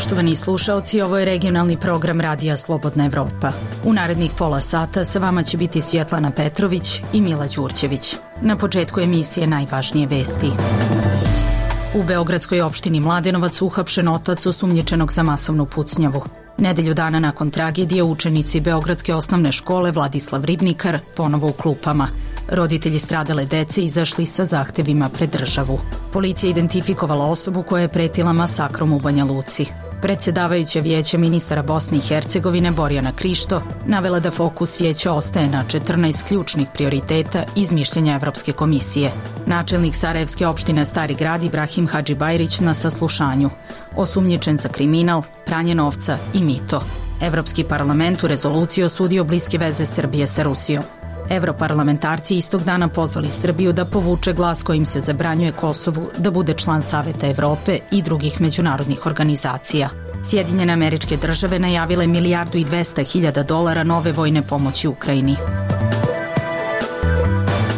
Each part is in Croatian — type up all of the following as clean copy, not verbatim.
Poštovani slušaoci, ovo je regionalni program Radija Slobodna Evropa. U narednih pola sata sa vama će biti Svjetlana Petrović i Mila Đurđević. Na početku emisije najvažnije vesti. U beogradskoj opštini Mladenovac uhapšen otac osumnjičenog za masovnu pucnjavu. Nedelju dana nakon tragedije učenici Beogradske osnovne škole Vladislav Ribnikar ponovo u klupama. Roditelji stradale dece izašli sa zahtevima pred državu. Policija identifikovala osobu koja je pretila masakrom u Banja Luci. Predsjedavajuća vijeća ministara Bosne i Hercegovine Borjana Krišto navela da fokus vijeća ostaje na 14 ključnih prioriteta iz mišljenja Evropske komisije. Načelnik Sarajevske opštine Stari grad Ibrahim Hadžibajrić na saslušanju. Osumnjičen za kriminal, pranje novca i mito. Evropski parlament u rezoluciji osudio bliske veze Srbije sa Rusijom. Evroparlamentarci istog dana pozvali Srbiju da povuče glas kojim se zabranjuje Kosovu da bude član Saveta Evrope i drugih međunarodnih organizacija. Sjedinjene Američke Države najavile $1.200.000 nove vojne pomoći Ukrajini.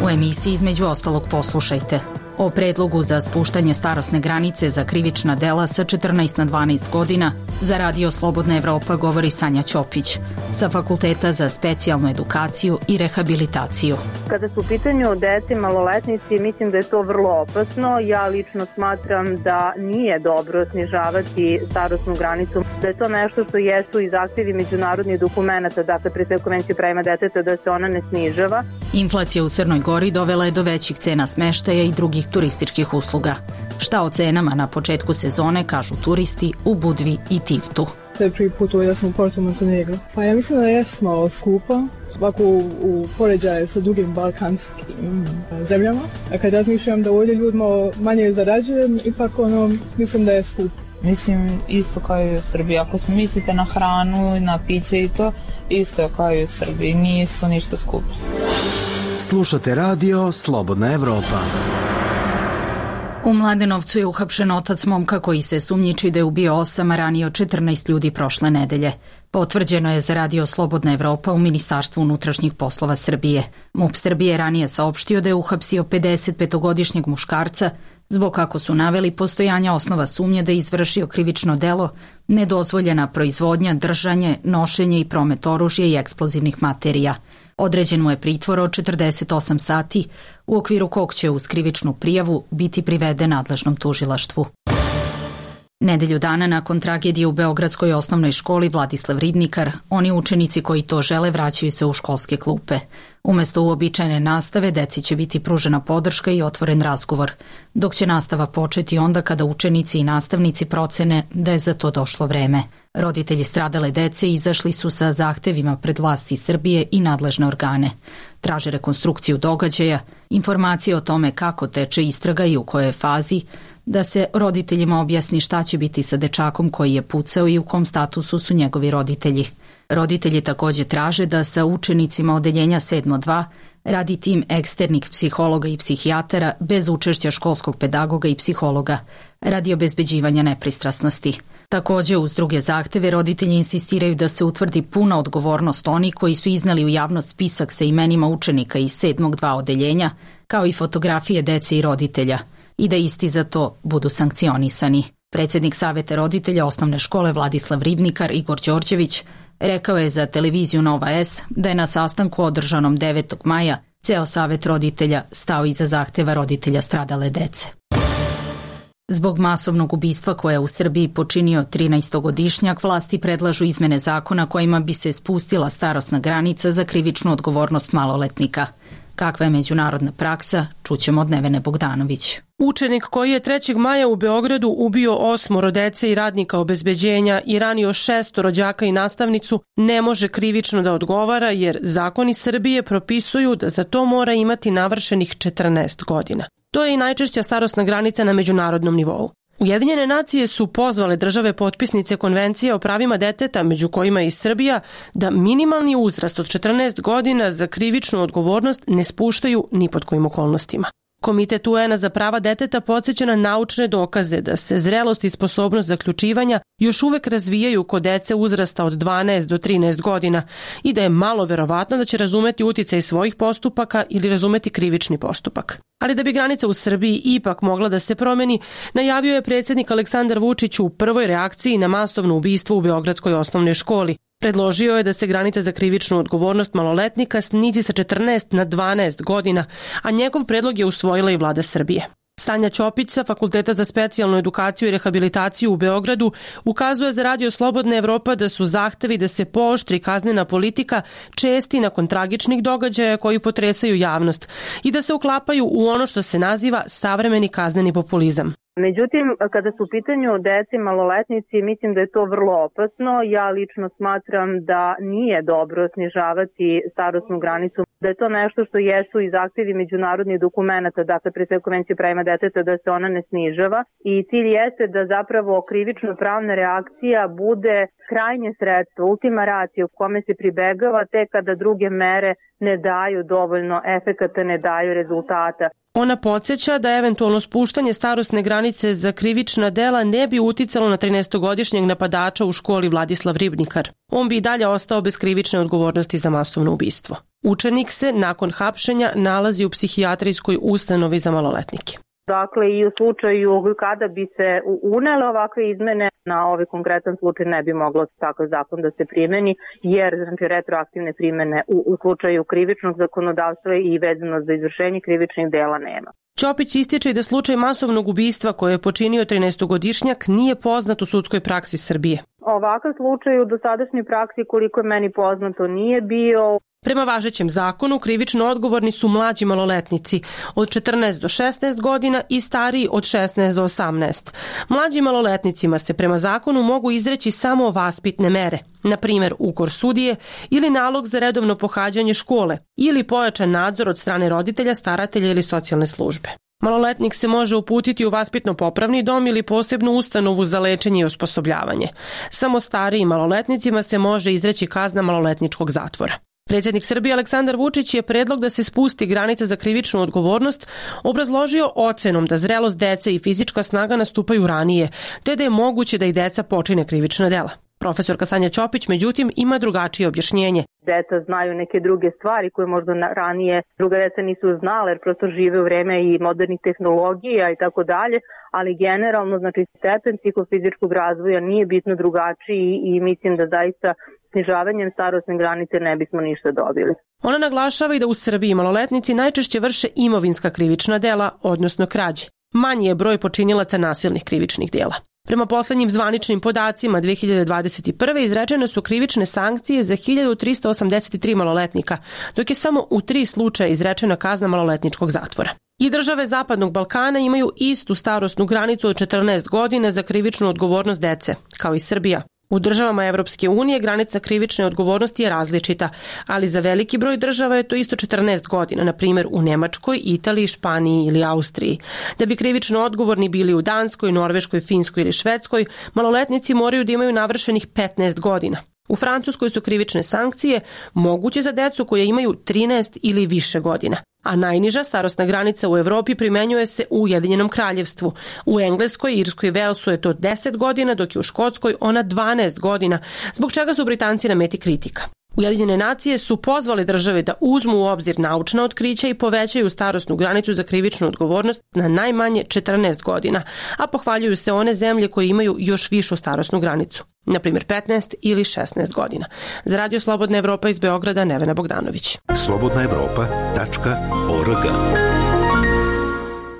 U emisiji između ostalog poslušajte o predlogu za spuštanje starosne granice za krivična dela sa 14 na 12 godina. Za Radio Slobodna Evropa govori Sanja Ćopić sa Fakulteta za specijalnu edukaciju i rehabilitaciju. Kada su u pitanju dece maloletnici, mislim da je to vrlo opasno. Ja lično smatram da nije dobro snižavati starosnu granicu, da je to nešto što jesu i zahtjevi međunarodnih dokumenta, dakle pre sve Konvencije o pravima deteta, da se ona ne snižava. Inflacija u Crnoj Gori dovela je do većih cena smeštaja i drugih turističkih usluga. Šta o cenama na početku sezone kažu turisti u Budvi i Tivtu. To je prvi put da sam u Porto Montenegro. Pa ja mislim da je malo skupa, ovako u poređaju sa drugim balkanskim zemljama. A kad razmišljam da ovdje ljudima manje zarađujem, ipak mislim da je skupo. Mislim isto kao i u Srbiji. Ako mislite na hranu, na piće i to, isto kao i u Srbiji. Nisu ništa skupo. Slušate Radio Slobodna Evropa. U Mladenovcu je uhapšen otac momka koji se sumnjiči da je ubio 8, a ranio 14 ljudi prošle nedelje. Potvrđeno je za Radio Slobodna Evropa u Ministarstvu unutrašnjih poslova Srbije. MUP Srbije ranije saopštio da je uhapsio 55-godišnjeg muškarca zbog, kako su naveli, postojanja osnova sumnje da je izvršio krivično delo, nedozvoljena proizvodnja, držanje, nošenje i promet oružja i eksplozivnih materija. Određen mu je pritvor od 48 sati, u okviru kog će uz krivičnu prijavu biti priveden nadležnom tužilaštvu. Nedelju dana nakon tragedije u Beogradskoj osnovnoj školi Vladislav Ribnikar, oni učenici koji to žele vraćaju se u školske klupe. Umesto uobičajene nastave, deci će biti pružena podrška i otvoren razgovor, dok će nastava početi onda kada učenici i nastavnici procene da je za to došlo vreme. Roditelji stradale dece izašli su sa zahtevima pred vlasti Srbije i nadležne organe. Traže rekonstrukciju događaja, informacije o tome kako teče istraga i u kojoj fazi, da se roditeljima objasni šta će biti sa dečakom koji je pucao i u kom statusu su njegovi roditelji. Roditelji također traže da sa učenicima odeljenja 7.2 radi tim eksternih psihologa i psihijatara bez učešća školskog pedagoga i psihologa, radi obezbeđivanja nepristrasnosti. Također, uz druge zahteve, roditelji insistiraju da se utvrdi puna odgovornost onih koji su iznali u javnost spisak sa imenima učenika iz 7.2 odeljenja, kao i fotografije dece i roditelja, i da isti za to budu sankcionisani. Predsjednik Saveta roditelja osnovne škole Vladislav Ribnikar Igor Đorđević rekao je za televiziju Nova S da je na sastanku održanom 9. maja ceo Savet roditelja stao iza zahteva roditelja stradale dece. Zbog masovnog ubistva koje je u Srbiji počinio 13-godišnjak, vlasti predlažu izmene zakona kojima bi se spustila starosna granica za krivičnu odgovornost maloletnika. Kakva je međunarodna praksa, čućemo od Nevene Bogdanović. Učenik koji je 3. maja u Beogradu ubio 8 dece i radnika obezbeđenja i ranio 6 rođaka i nastavnicu ne može krivično da odgovara jer zakoni Srbije propisuju da za to mora imati navršenih 14 godina. To je i najčešća starosna granica na međunarodnom nivou. Ujedinjene nacije su pozvale države potpisnice Konvencije o pravima deteta, među kojima je i Srbija, da minimalni uzrast od 14 godina za krivičnu odgovornost ne spuštaju ni pod kojim okolnostima. Komitet UN-a za prava deteta podsjeća na naučne dokaze da se zrelost i sposobnost zaključivanja još uvek razvijaju kod dece uzrasta od 12 do 13 godina i da je malo verovatno da će razumeti uticaj svojih postupaka ili razumeti krivični postupak. Ali da bi granica u Srbiji ipak mogla da se promeni, najavio je predsjednik Aleksandar Vučić u prvoj reakciji na masovno ubistvo u Beogradskoj osnovnoj školi. Predložio je da se granica za krivičnu odgovornost maloletnika snizi sa 14 na 12 godina, a njegov predlog je usvojila i vlada Srbije. Sanja Ćopić sa Fakulteta za specijalnu edukaciju i rehabilitaciju u Beogradu ukazuje za Radio Slobodna Evropa da su zahtevi da se pooštri kaznena politika česti nakon tragičnih događaja koji potresaju javnost i da se uklapaju u ono što se naziva savremeni kazneni populizam. Međutim, kada su u pitanju deci maloletnici, mislim da je to vrlo opasno. Ja lično smatram da nije dobro snižavati starosnu granicu, da je to nešto što jesu i zahtjevi međunarodnih dokumenta, dakle pre sve Konvencije o pravima deteta, da se ona ne snižava. I cilj jeste da zapravo krivično-pravna reakcija bude krajnje sredstvo, ultima ratio, u kome se pribegava tek kada druge mere ne daju dovoljno efekata, ne daju rezultata. Ona podsjeća da eventualno spuštanje starosne granice za krivična dela ne bi uticalo na 13-godišnjeg napadača u školi Vladislav Ribnikar. On bi i dalje ostao bez krivične odgovornosti za masovno ubistvo. Učenik se nakon hapšenja nalazi u psihijatrijskoj ustanovi za maloletnike. Dakle, i u slučaju kada bi se unele ovakve izmene, na ovaj konkretan slučaj ne bi moglo takav zakon da se primeni, jer znači, retroaktivne primene u slučaju krivičnog zakonodavstva i vezano za izvršenje krivičnih dela nema. Ćopić ističe i da slučaj masovnog ubistva koje je počinio 13-godišnjak nije poznat u sudskoj praksi Srbije. Ovakav slučaj u dosadašnjoj praksi, koliko je meni poznato, nije bio. Prema važećem zakonu, krivično odgovorni su mlađi maloletnici od 14 do 16 godina i stariji od 16 do 18. Mlađim maloletnicima se prema zakonu mogu izreći samo vaspitne mere, na primjer ukor sudije ili nalog za redovno pohađanje škole ili pojačan nadzor od strane roditelja, staratelja ili socijalne službe. Maloletnik se može uputiti u vaspitno-popravni dom ili posebnu ustanovu za lečenje i osposobljavanje. Samo starijim maloletnicima se može izreći kazna maloletničkog zatvora. Predsjednik Srbije Aleksandar Vučić je predlog da se spusti granica za krivičnu odgovornost obrazložio ocenom da zrelost dece i fizička snaga nastupaju ranije, te da je moguće da i deca počine krivična dela. Profesorka Sanja Ćopić, međutim, ima drugačije objašnjenje. Deca znaju neke druge stvari koje možda ranije druga deca nisu znale, jer prosto žive u vreme i modernih tehnologija i tako dalje, ali generalno, znači, stepen psihofizičkog razvoja nije bitno drugačiji i mislim da zaista snižavanjem starosne granice ne bismo ništa dobili. Ona naglašava i da u Srbiji maloletnici najčešće vrše imovinska krivična dela, odnosno krađe. Manji je broj počinilaca nasilnih krivičnih dela. Prema poslednjim zvaničnim podacima 2021. izrečene su krivične sankcije za 1383 maloletnika, dok je samo u 3 slučaja izrečena kazna maloletničkog zatvora. I države Zapadnog Balkana imaju istu starosnu granicu od 14 godina za krivičnu odgovornost dece, kao i Srbija. U državama Evropske unije granica krivične odgovornosti je različita, ali za veliki broj država je to isto 14 godina, na primjer u Nemačkoj, Italiji, Španiji ili Austriji. Da bi krivično odgovorni bili u Danskoj, Norveškoj, Finskoj ili Švedskoj, maloletnici moraju da imaju navršenih 15 godina. U Francuskoj su krivične sankcije moguće za decu koje imaju 13 ili više godina, a najniža starosna granica u Evropi primenjuje se u Ujedinjenom kraljevstvu. U Engleskoj, Irskoj i Velsu je to 10 godina, dok je u Škotskoj ona 12 godina, zbog čega su Britanci na meti kritika. Ujedinjene nacije su pozvali države da uzmu u obzir naučna otkrića i povećaju starosnu granicu za krivičnu odgovornost na najmanje 14 godina, a pohvaljuju se one zemlje koje imaju još višu starosnu granicu, na primjer 15 ili 16 godina. Za Radio Slobodna Evropa iz Beograda, Nevena Bogdanović. slobodnaevropa.org.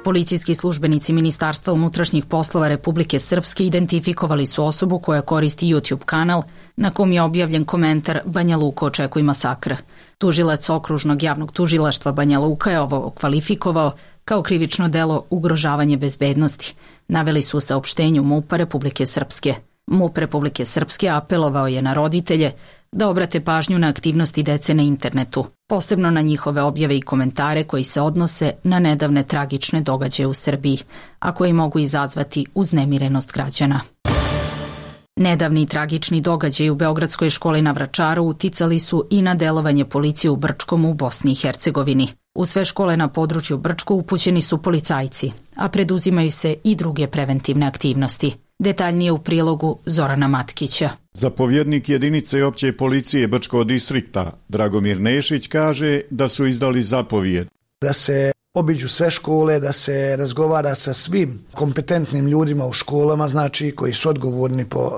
Policijski službenici Ministarstva unutrašnjih poslova Republike Srpske identifikovali su osobu koja koristi YouTube kanal na kom je objavljen komentar Banja Luka očekuj masakra. Tužilac Okružnog javnog tužilaštva Banja Luka je ovo kvalifikovao kao krivično delo ugrožavanje bezbednosti. Naveli su u saopštenju MUP-a Republike Srpske. MUP Republike Srpske apelovao je na roditelje da obrate pažnju na aktivnosti dece na internetu, posebno na njihove objave i komentare koji se odnose na nedavne tragične događaje u Srbiji, a koji mogu izazvati uznemirenost građana. Nedavni tragični događaji u Beogradskoj školi na Vračaru uticali su i na delovanje policije u Brčkom u Bosni i Hercegovini. U sve škole na području Brčko upućeni su policajci, a preduzimaju se i druge preventivne aktivnosti. Detaljnije u prilogu Zorana Matkića. Zapovjednik jedinice opće policije Brčkog distrikta Dragomir Nešić kaže da su izdali zapovijed. Da se obiđu sve škole, da se razgovara sa svim kompetentnim ljudima u školama, znači koji su odgovorni po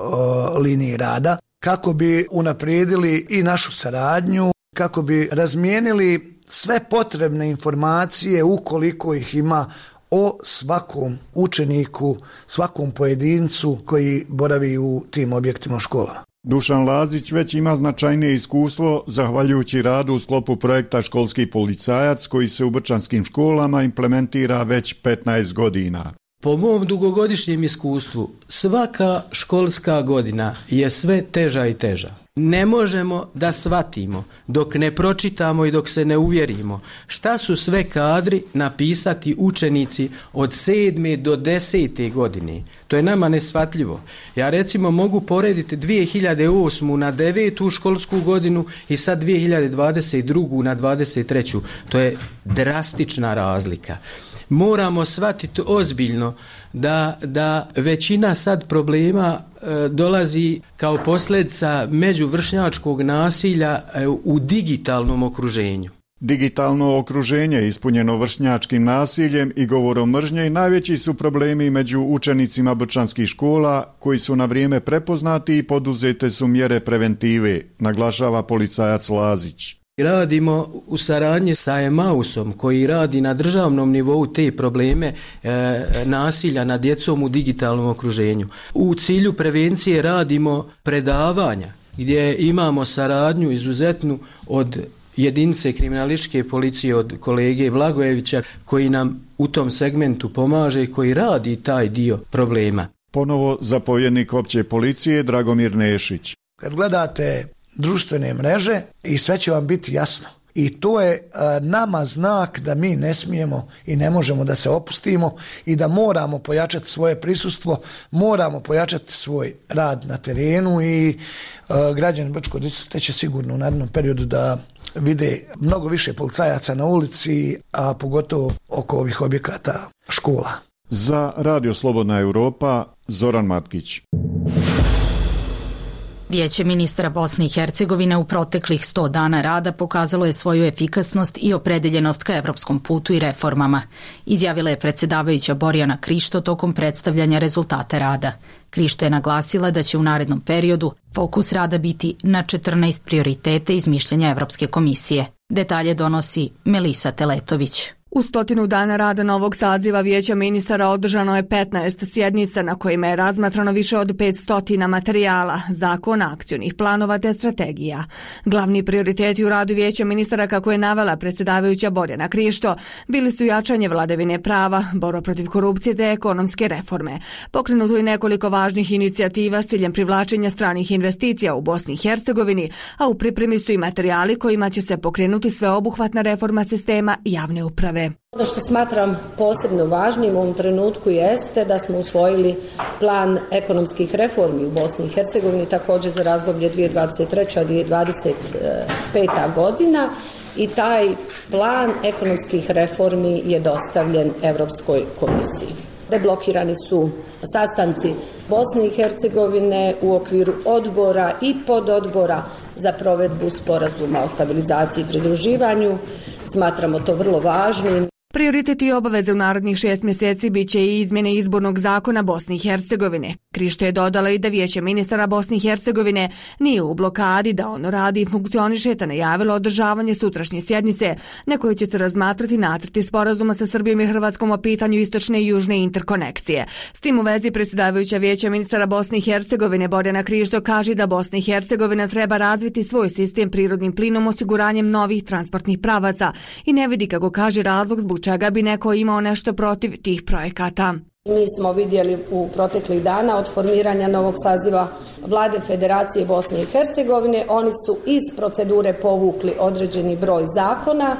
liniji rada, kako bi unaprijedili i našu saradnju, kako bi razmijenili sve potrebne informacije ukoliko ih ima o svakom učeniku, svakom pojedincu koji boravi u tim objektima u školama. Dušan Lazić već ima značajnije iskustvo zahvaljujući radu u sklopu projekta Školski policajac koji se u brčanskim školama implementira već 15 godina. Po mom dugogodišnjem iskustvu, svaka školska godina je sve teža i teža. Ne možemo da shvatimo dok ne pročitamo i dok se ne uvjerimo šta su sve kadri napisati učenici od 7. do 10. godine. To je nama neshvatljivo. Ja recimo mogu porediti 2008. na 9. školsku godinu i sad 2022. na 23. To je drastična razlika. Moramo shvatiti ozbiljno da većina sad problema dolazi kao posljedica međuvršnjačkog nasilja u digitalnom okruženju. Digitalno okruženje ispunjeno vršnjačkim nasiljem i govorom mržnje najveći su problemi među učenicima brčanskih škola koji su na vrijeme prepoznati i poduzete su mjere preventive, naglašava policajac Lazić. Radimo u saradnji sa Emausom koji radi na državnom nivou te probleme nasilja nad djecom u digitalnom okruženju. U cilju prevencije radimo predavanja gdje imamo saradnju izuzetnu od jedinice kriminalističke policije od kolege Blagojevića koji nam u tom segmentu pomaže i koji radi taj dio problema. Ponovo zapovjednik opće policije Dragomir Nešić. Kad gledate društvene mreže i sve će vam biti jasno. I to je nama znak da mi ne smijemo i ne možemo da se opustimo i da moramo pojačati svoje prisustvo, moramo pojačati svoj rad na terenu i građani Brčkog distrikta će sigurno u narednom periodu da vide mnogo više policajaca na ulici, a pogotovo oko ovih objekata škola. Za Radio Slobodna Europa, Zoran Matkić. Vijeće ministara Bosne i Hercegovine u proteklih 100 dana rada pokazalo je svoju efikasnost i opredeljenost ka evropskom putu i reformama, izjavila je predsjedavajuća Borjana Krišto tokom predstavljanja rezultata rada. Krišto je naglasila da će u narednom periodu fokus rada biti na 14 prioriteta iz mišljenja Evropske komisije. Detalje donosi Melisa Teletović. U 100 dana rada novog saziva Vijeća ministara održano je 15 sjednica na kojima je razmatrano više od 500 materijala, zakona, akcionih planova te strategija. Glavni prioriteti u radu Vijeća ministara, kako je navela predsjedavajuća Borjana Krišto, bili su jačanje vladavine prava, borba protiv korupcije te ekonomske reforme. Pokrenuto je nekoliko važnih inicijativa s ciljem privlačenja stranih investicija u Bosni i Hercegovini, a u pripremi su i materijali kojima će se pokrenuti sveobuhvatna reforma sistema javne uprave. Ono što smatram posebno važnim u ovom trenutku jeste da smo usvojili plan ekonomskih reformi u Bosni i Hercegovini, također za razdoblje 2023-2025. godina i taj plan ekonomskih reformi je dostavljen Europskoj komisiji. Deblokirani su sastanci Bosne i Hercegovine u okviru odbora i pododbora za provedbu sporazuma o stabilizaciji i pridruživanju. Smatramo to vrlo važnim. Prioritet i obaveze u narednih 6 mjeseci bit će i izmjene izbornog zakona Bosne i Hercegovine. Krišto je dodala i da Vijeće ministara Bosne i Hercegovine nije u blokadi, da ono radi i funkcioniše, te najavilo održavanje sutrašnje sjednice na kojoj će se razmatrati nacrti sporazuma sa Srbijom i Hrvatskom o pitanju istočne i južne interkonekcije. S tim u vezi predsjedavajuća Vijeća ministara Bosne i Hercegovine Borjana Krišto kaže da Bosna i Hercegovina treba razviti svoj sistem prirodnim plinom osiguranjem novih transportnih pravaca i ne vidi, kako kaže, razlog zbog čega bi neko imao nešto protiv tih projekata. Mi smo vidjeli u proteklih dana od formiranja novog saziva Vlade Federacije Bosne i Hercegovine, oni su iz procedure povukli određeni broj zakona,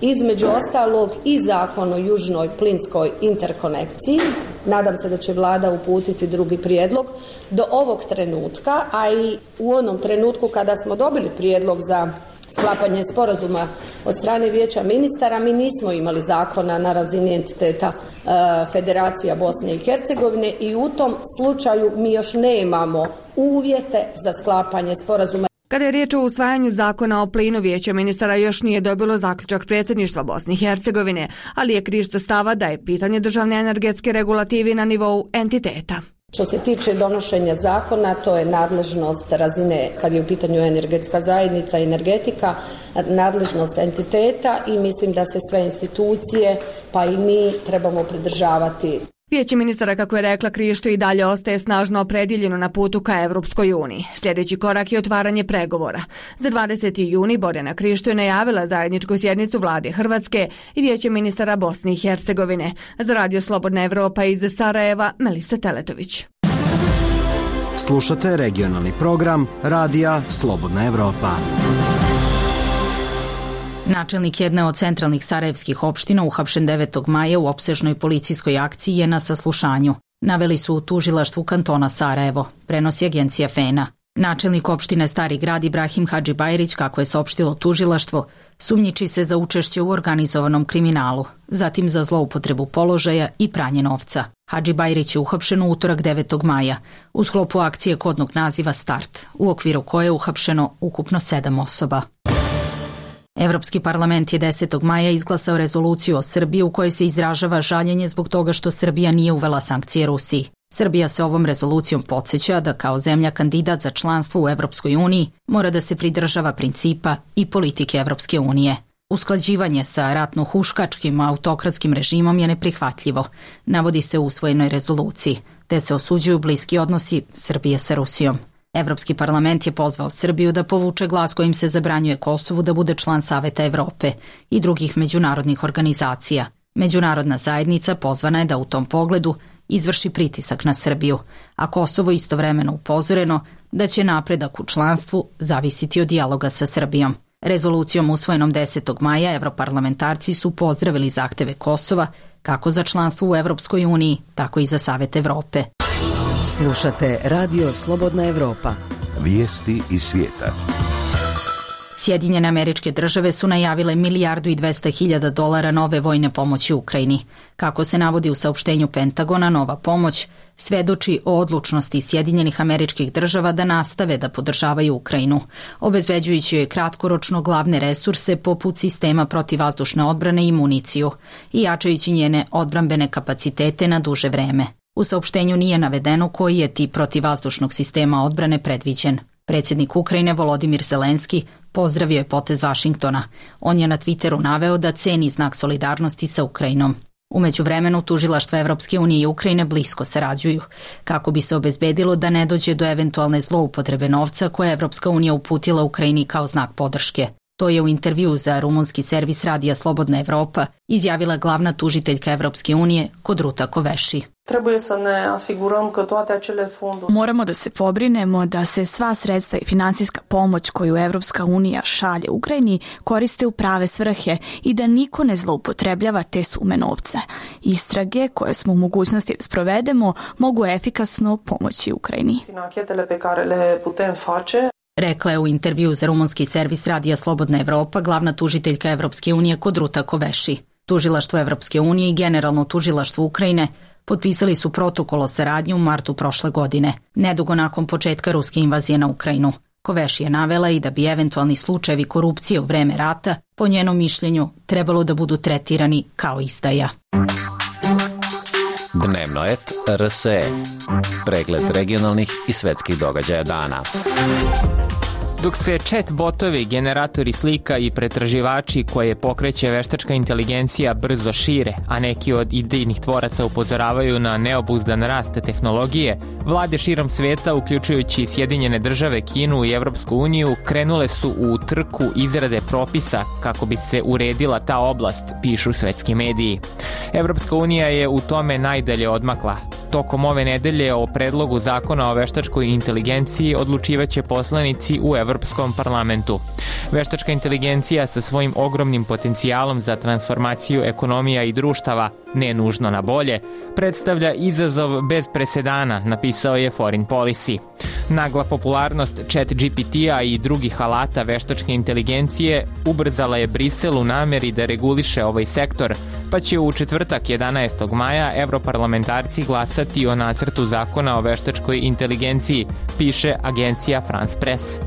između ostalog i zakon o južnoj plinskoj interkonekciji. Nadam se da će Vlada uputiti drugi prijedlog. Do ovog trenutka, a i u onom trenutku kada smo dobili prijedlog za sklapanje sporazuma od strane Vijeća ministara. Mi nismo imali zakona na razini entiteta Federacija Bosne i Hercegovine i u tom slučaju mi još nemamo uvjete za sklapanje sporazuma. Kada je riječ o usvajanju zakona o plinu, Vijeće ministara još nije dobilo zaključak predsjedništva Bosne i Hercegovine, ali je Krišto stava da je pitanje državne energetske regulative na nivou entiteta. Što se tiče donošenja zakona, to je nadležnost razine, kad je u pitanju energetska zajednica i energetika, nadležnost entiteta i mislim da se sve institucije, pa i mi, trebamo pridržavati. Vijeće ministara, kako je rekla Krišto, i dalje ostaje snažno opredjeljeno na putu ka Evropskoj uniji. Sljedeći korak je otvaranje pregovora. Za 20. juni Borjana Krišto je najavila zajedničku sjednicu vlade Hrvatske i Vijeće ministara Bosne i Hercegovine. Za Radio Slobodna Evropa iz Sarajeva, Melisa Teletović. Slušate regionalni program Radija Slobodna Evropa. Načelnik jedne od centralnih sarajevskih opština uhapšen 9. maja u opsežnoj policijskoj akciji je na saslušanju. Naveli su u tužilaštvu kantona Sarajevo, prenosi agencija FENA. Načelnik opštine Stari grad Ibrahim Hadžibajrić, kako je saopštilo tužilaštvo, sumnjiči se za učešće u organizovanom kriminalu, zatim za zloupotrebu položaja i pranje novca. Hadžibajrić je uhapšen u utorak 9. maja u sklopu akcije kodnog naziva Start, u okviru koje je uhapšeno ukupno 7 osoba. Evropski parlament je 10. maja izglasao rezoluciju o Srbiji u kojoj se izražava žaljenje zbog toga što Srbija nije uvela sankcije Rusiji. Srbija se ovom rezolucijom podsjeća da kao zemlja kandidat za članstvo u Evropskoj uniji mora da se pridržava principa i politike Evropske unije. Usklađivanje sa ratno-huškačkim autokratskim režimom je neprihvatljivo, navodi se u usvojenoj rezoluciji, te se osuđuju bliski odnosi Srbije sa Rusijom. Evropski parlament je pozvao Srbiju da povuče glas kojim se zabranjuje Kosovu da bude član Saveta Evrope i drugih međunarodnih organizacija. Međunarodna zajednica pozvana je da u tom pogledu izvrši pritisak na Srbiju, a Kosovo istovremeno upozoreno da će napredak u članstvu zavisiti od dijaloga sa Srbijom. Rezolucijom usvojenom 10. maja evroparlamentarci su pozdravili zahteve Kosova kako za članstvo u Evropskoj uniji, tako i za Savet Evrope. Slušate Radio Slobodna Evropa. Vijesti iz svijeta. Sjedinjene Američke Države su najavile $1.200.000 nove vojne pomoći Ukrajini. Kako se navodi u saopštenju Pentagona, nova pomoć svedoči o odlučnosti Sjedinjenih Američkih Država da nastave da podržavaju Ukrajinu, obezbeđujući joj kratkoročno glavne resurse poput sistema protivvazdušne odbrane i municiju i jačajući njene odbrambene kapacitete na duže vreme. U saopštenju nije navedeno koji je tip protivvazdušnog sistema odbrane predviđen. Predsjednik Ukrajine Volodimir Zelenski pozdravio je potez Vašingtona. On je na Twitteru naveo da ceni znak solidarnosti sa Ukrajinom. U međuvremenu tužilaštva Evropske unije i Ukrajine blisko sarađuju, kako bi se obezbedilo da ne dođe do eventualne zloupotrebe novca koje je Evropska unija uputila Ukrajini kao znak podrške. To je u intervju za rumunski servis Radija Slobodna Evropa izjavila glavna tužiteljka Evropske unije Codruta Kövesi. Moramo da se pobrinemo da se sva sredstva i finansijska pomoć koju Evropska unija šalje Ukrajini koriste u prave svrhe i da niko ne zloupotrebljava te sume novca. Istrage koje smo u mogućnosti da sprovedemo mogu efikasno pomoći Ukrajini. Rekla je u intervju za rumunski servis Radija Slobodna Evropa glavna tužiteljka Evropske unije Codruta Kövesi. Tužilaštvo Evropske unije i Generalno tužilaštvo Ukrajine potpisali su protokol o saradnji u martu prošle godine, nedugo nakon početka ruske invazije na Ukrajinu. Kövesi je navela i da bi eventualni slučajevi korupcije u vreme rata, po njenom mišljenju, trebalo da budu tretirani kao izdaja. Dnevnoet RSE. Pregled regionalnih i svetskih događaja dana. Dok se chat botovi, generatori slika i pretraživači koje pokreće veštačka inteligencija brzo šire, a neki od idejnih tvoraca upozoravaju na neobuzdan rast tehnologije, vlade širom sveta, uključujući Sjedinjene Države, Kinu i Evropsku uniju, krenule su u trku izrade propisa kako bi se uredila ta oblast, pišu svetski mediji. Evropska unija je u tome najdalje odmakla. Tokom ove nedelje o predlogu zakona o veštačkoj inteligenciji odlučivaće poslanici u Evropskom parlamentu. Veštačka inteligencija sa svojim ogromnim potencijalom za transformaciju ekonomija i društava, ne nužno na bolje, predstavlja izazov bez presedana, napisao je Foreign Policy. Nagla popularnost ChatGPT-a i drugih alata veštačke inteligencije ubrzala je Brisel u nameri da reguliše ovaj sektor, pa će u četvrtak 11. maja evroparlamentarci glasati o nacrtu zakona o veštačkoj inteligenciji, piše agencija France Press.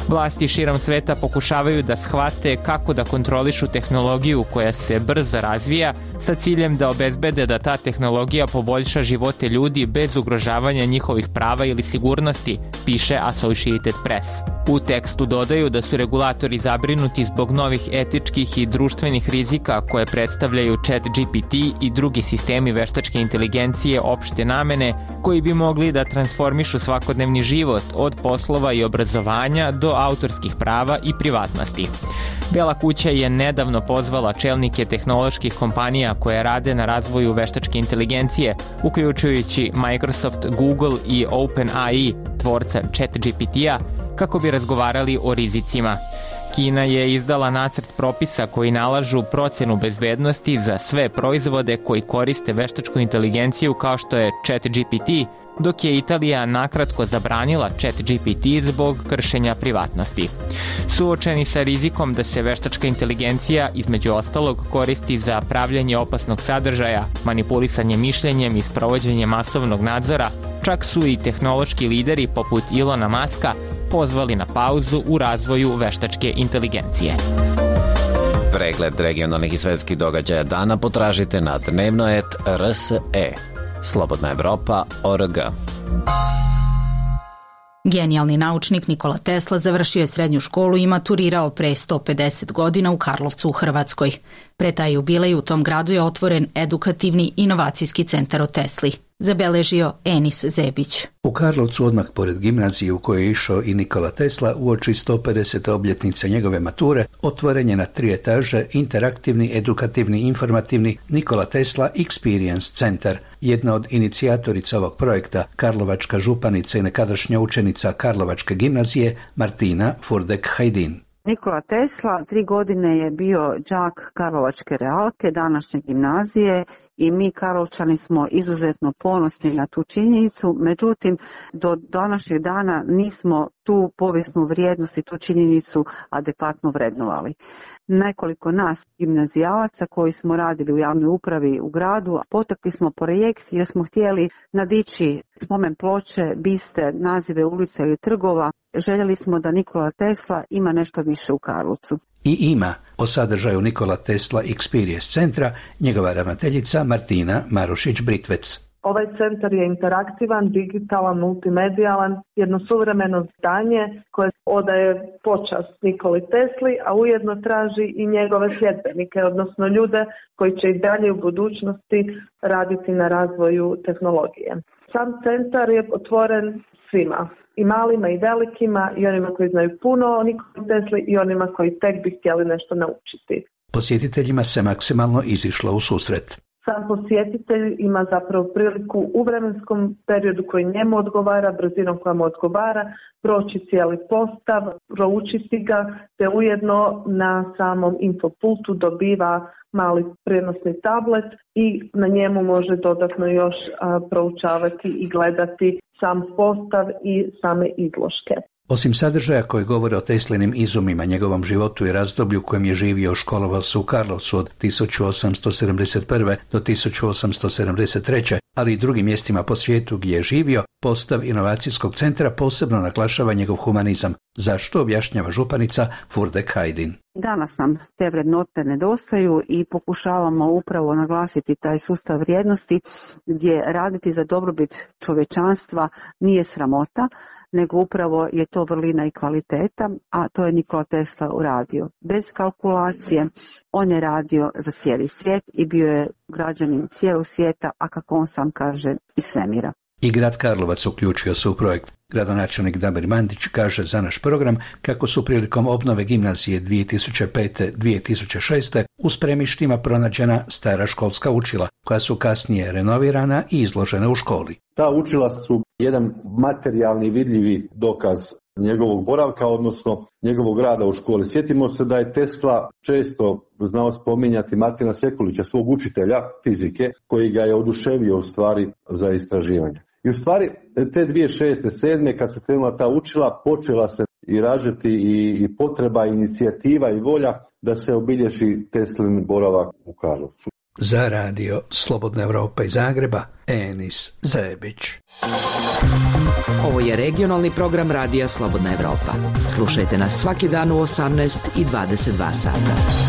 Vlasti širom sveta pokušavaju da shvate kako da kontrolišu tehnologiju koja se brzo razvija sa ciljem da obezbede da ta tehnologija poboljša živote ljudi bez ugrožavanja njihovih prava ili sigurnosti, piše Associated Press. U tekstu dodaju da su regulatori zabrinuti zbog novih etičkih i društvenih rizika koje predstavljaju ChatGPT i drugi sistemi veštačke inteligencije opšte namene koji bi mogli da transformišu svakodnevni život od poslova i obrazovanja do autorskih prava i privatnosti. Bela kuća je nedavno pozvala čelnike tehnoloških kompanija koje rade na razvoju veštačke inteligencije, uključujući Microsoft, Google i OpenAI, tvorca ChatGPT-a, kako bi razgovarali o rizicima. Kina je izdala nacrt propisa koji nalažu procenu bezbednosti za sve proizvode koji koriste veštačku inteligenciju kao što je ChatGPT, dok je Italija nakratko zabranila ChatGPT zbog kršenja privatnosti. Suočeni sa rizikom da se veštačka inteligencija, između ostalog, koristi za pravljanje opasnog sadržaja, manipulisanje mišljenjem i sprovođenje masovnog nadzora, čak su i tehnološki lideri poput Ilona Maska pozvali na pauzu u razvoju veštačke inteligencije. Pregled regionalnih i svetskih događaja dana potražite na dnevnoet.rse. Slobodna Evropa.org. Genijalni naučnik Nikola Tesla završio je srednju školu i maturirao pre 150 godina u Karlovcu u Hrvatskoj. Pre taj jubilej u tom gradu je otvoren edukativni inovacijski centar o Tesli, zabeležio Enis Zebić. U Karlovcu, odmah pored gimnazije u kojoj je išao i Nikola Tesla, uoči 150. obljetnice njegove mature, otvoren je na 3 etaže interaktivni, edukativni, informativni Nikola Tesla Experience Centar. Jedna od inicijatorica ovog projekta, karlovačka županica i nekadašnja učenica Karlovačke gimnazije Martina Furdek-Hajdin. Nikola Tesla 3 godine je bio đak Karlovačke realke, današnje gimnazije, i mi Karlovčani smo izuzetno ponosni na tu činjenicu, međutim do današnjeg dana nismo tu povijesnu vrijednost i tu činjenicu adekvatno vrednovali. Nekoliko nas gimnazijalaca koji smo radili u javnoj upravi u gradu, potakli smo projekt jer smo htjeli nadići spomen ploče, biste, nazive ulica ili trgova. Željeli smo da Nikola Tesla ima nešto više u Karlovcu. I ima. O sadržaju Nikola Tesla Experience centra njegova ravnateljica Martina Marušić-Britvec. Ovaj centar je interaktivan, digitalan, multimedijalan, jedno suvremeno zdanje koje odaje počast Nikoli Tesli, a ujedno traži i njegove sljedbenike, odnosno ljude koji će i dalje u budućnosti raditi na razvoju tehnologije. Sam centar je otvoren svima, i malima i velikima, i onima koji znaju puno o Nikoli Tesli i onima koji tek bi htjeli nešto naučiti. Posjetiteljima se maksimalno izišlo u susret. Sam posjetitelj ima zapravo priliku u vremenskom periodu koji njemu odgovara, brzinom koja mu odgovara, proći cijeli postav, proučiti ga, te ujedno na samom infopultu dobiva mali prijenosni tablet i na njemu može dodatno još proučavati i gledati sam postav i same izložke. Osim sadržaja koji govore o Teslinim izumima, njegovom životu i razdoblju u kojem je živio, školovao se u Karlovcu od 1871. do 1873. ali i drugim mjestima po svijetu gdje je živio, postav inovacijskog centra posebno naglašava njegov humanizam. Zašto, objašnjava županica Furdek-Hajdin. Danas nam te vrednote nedostaju i pokušavamo upravo naglasiti taj sustav vrijednosti gdje raditi za dobrobit čovječanstva nije sramota, nego upravo je to vrlina i kvaliteta, a to je Nikola Tesla uradio. Bez kalkulacije on je radio za cijeli svijet i bio je građanin cijelog svijeta, a kako on sam kaže i svemira. I grad Karlovac uključio se u projekt. Gradonačelnik Damir Mandić kaže za naš program kako su prilikom obnove gimnazije 2005-2006 u spremištima pronađena stara školska učila, koja su kasnije renovirana i izložena u školi. Ta učila su jedan materijalni vidljivi dokaz njegovog boravka, odnosno njegovog rada u školi. Sjetimo se da je Tesla često znao spominjati Martina Sekulića, svog učitelja fizike, koji ga je oduševio u stvari za istraživanje. I u stvari te 2006-2007 kad su krenula ta učila, počela se i rađati i potreba, inicijativa i volja da se obilježi Teslin boravak u Karlovcu. Za radio Slobodna Evropa iz Zagreba, Enis Zebić. Ovo je regionalni program radija Slobodna Evropa. Slušajte nas svaki dan u 18 i 22 sata.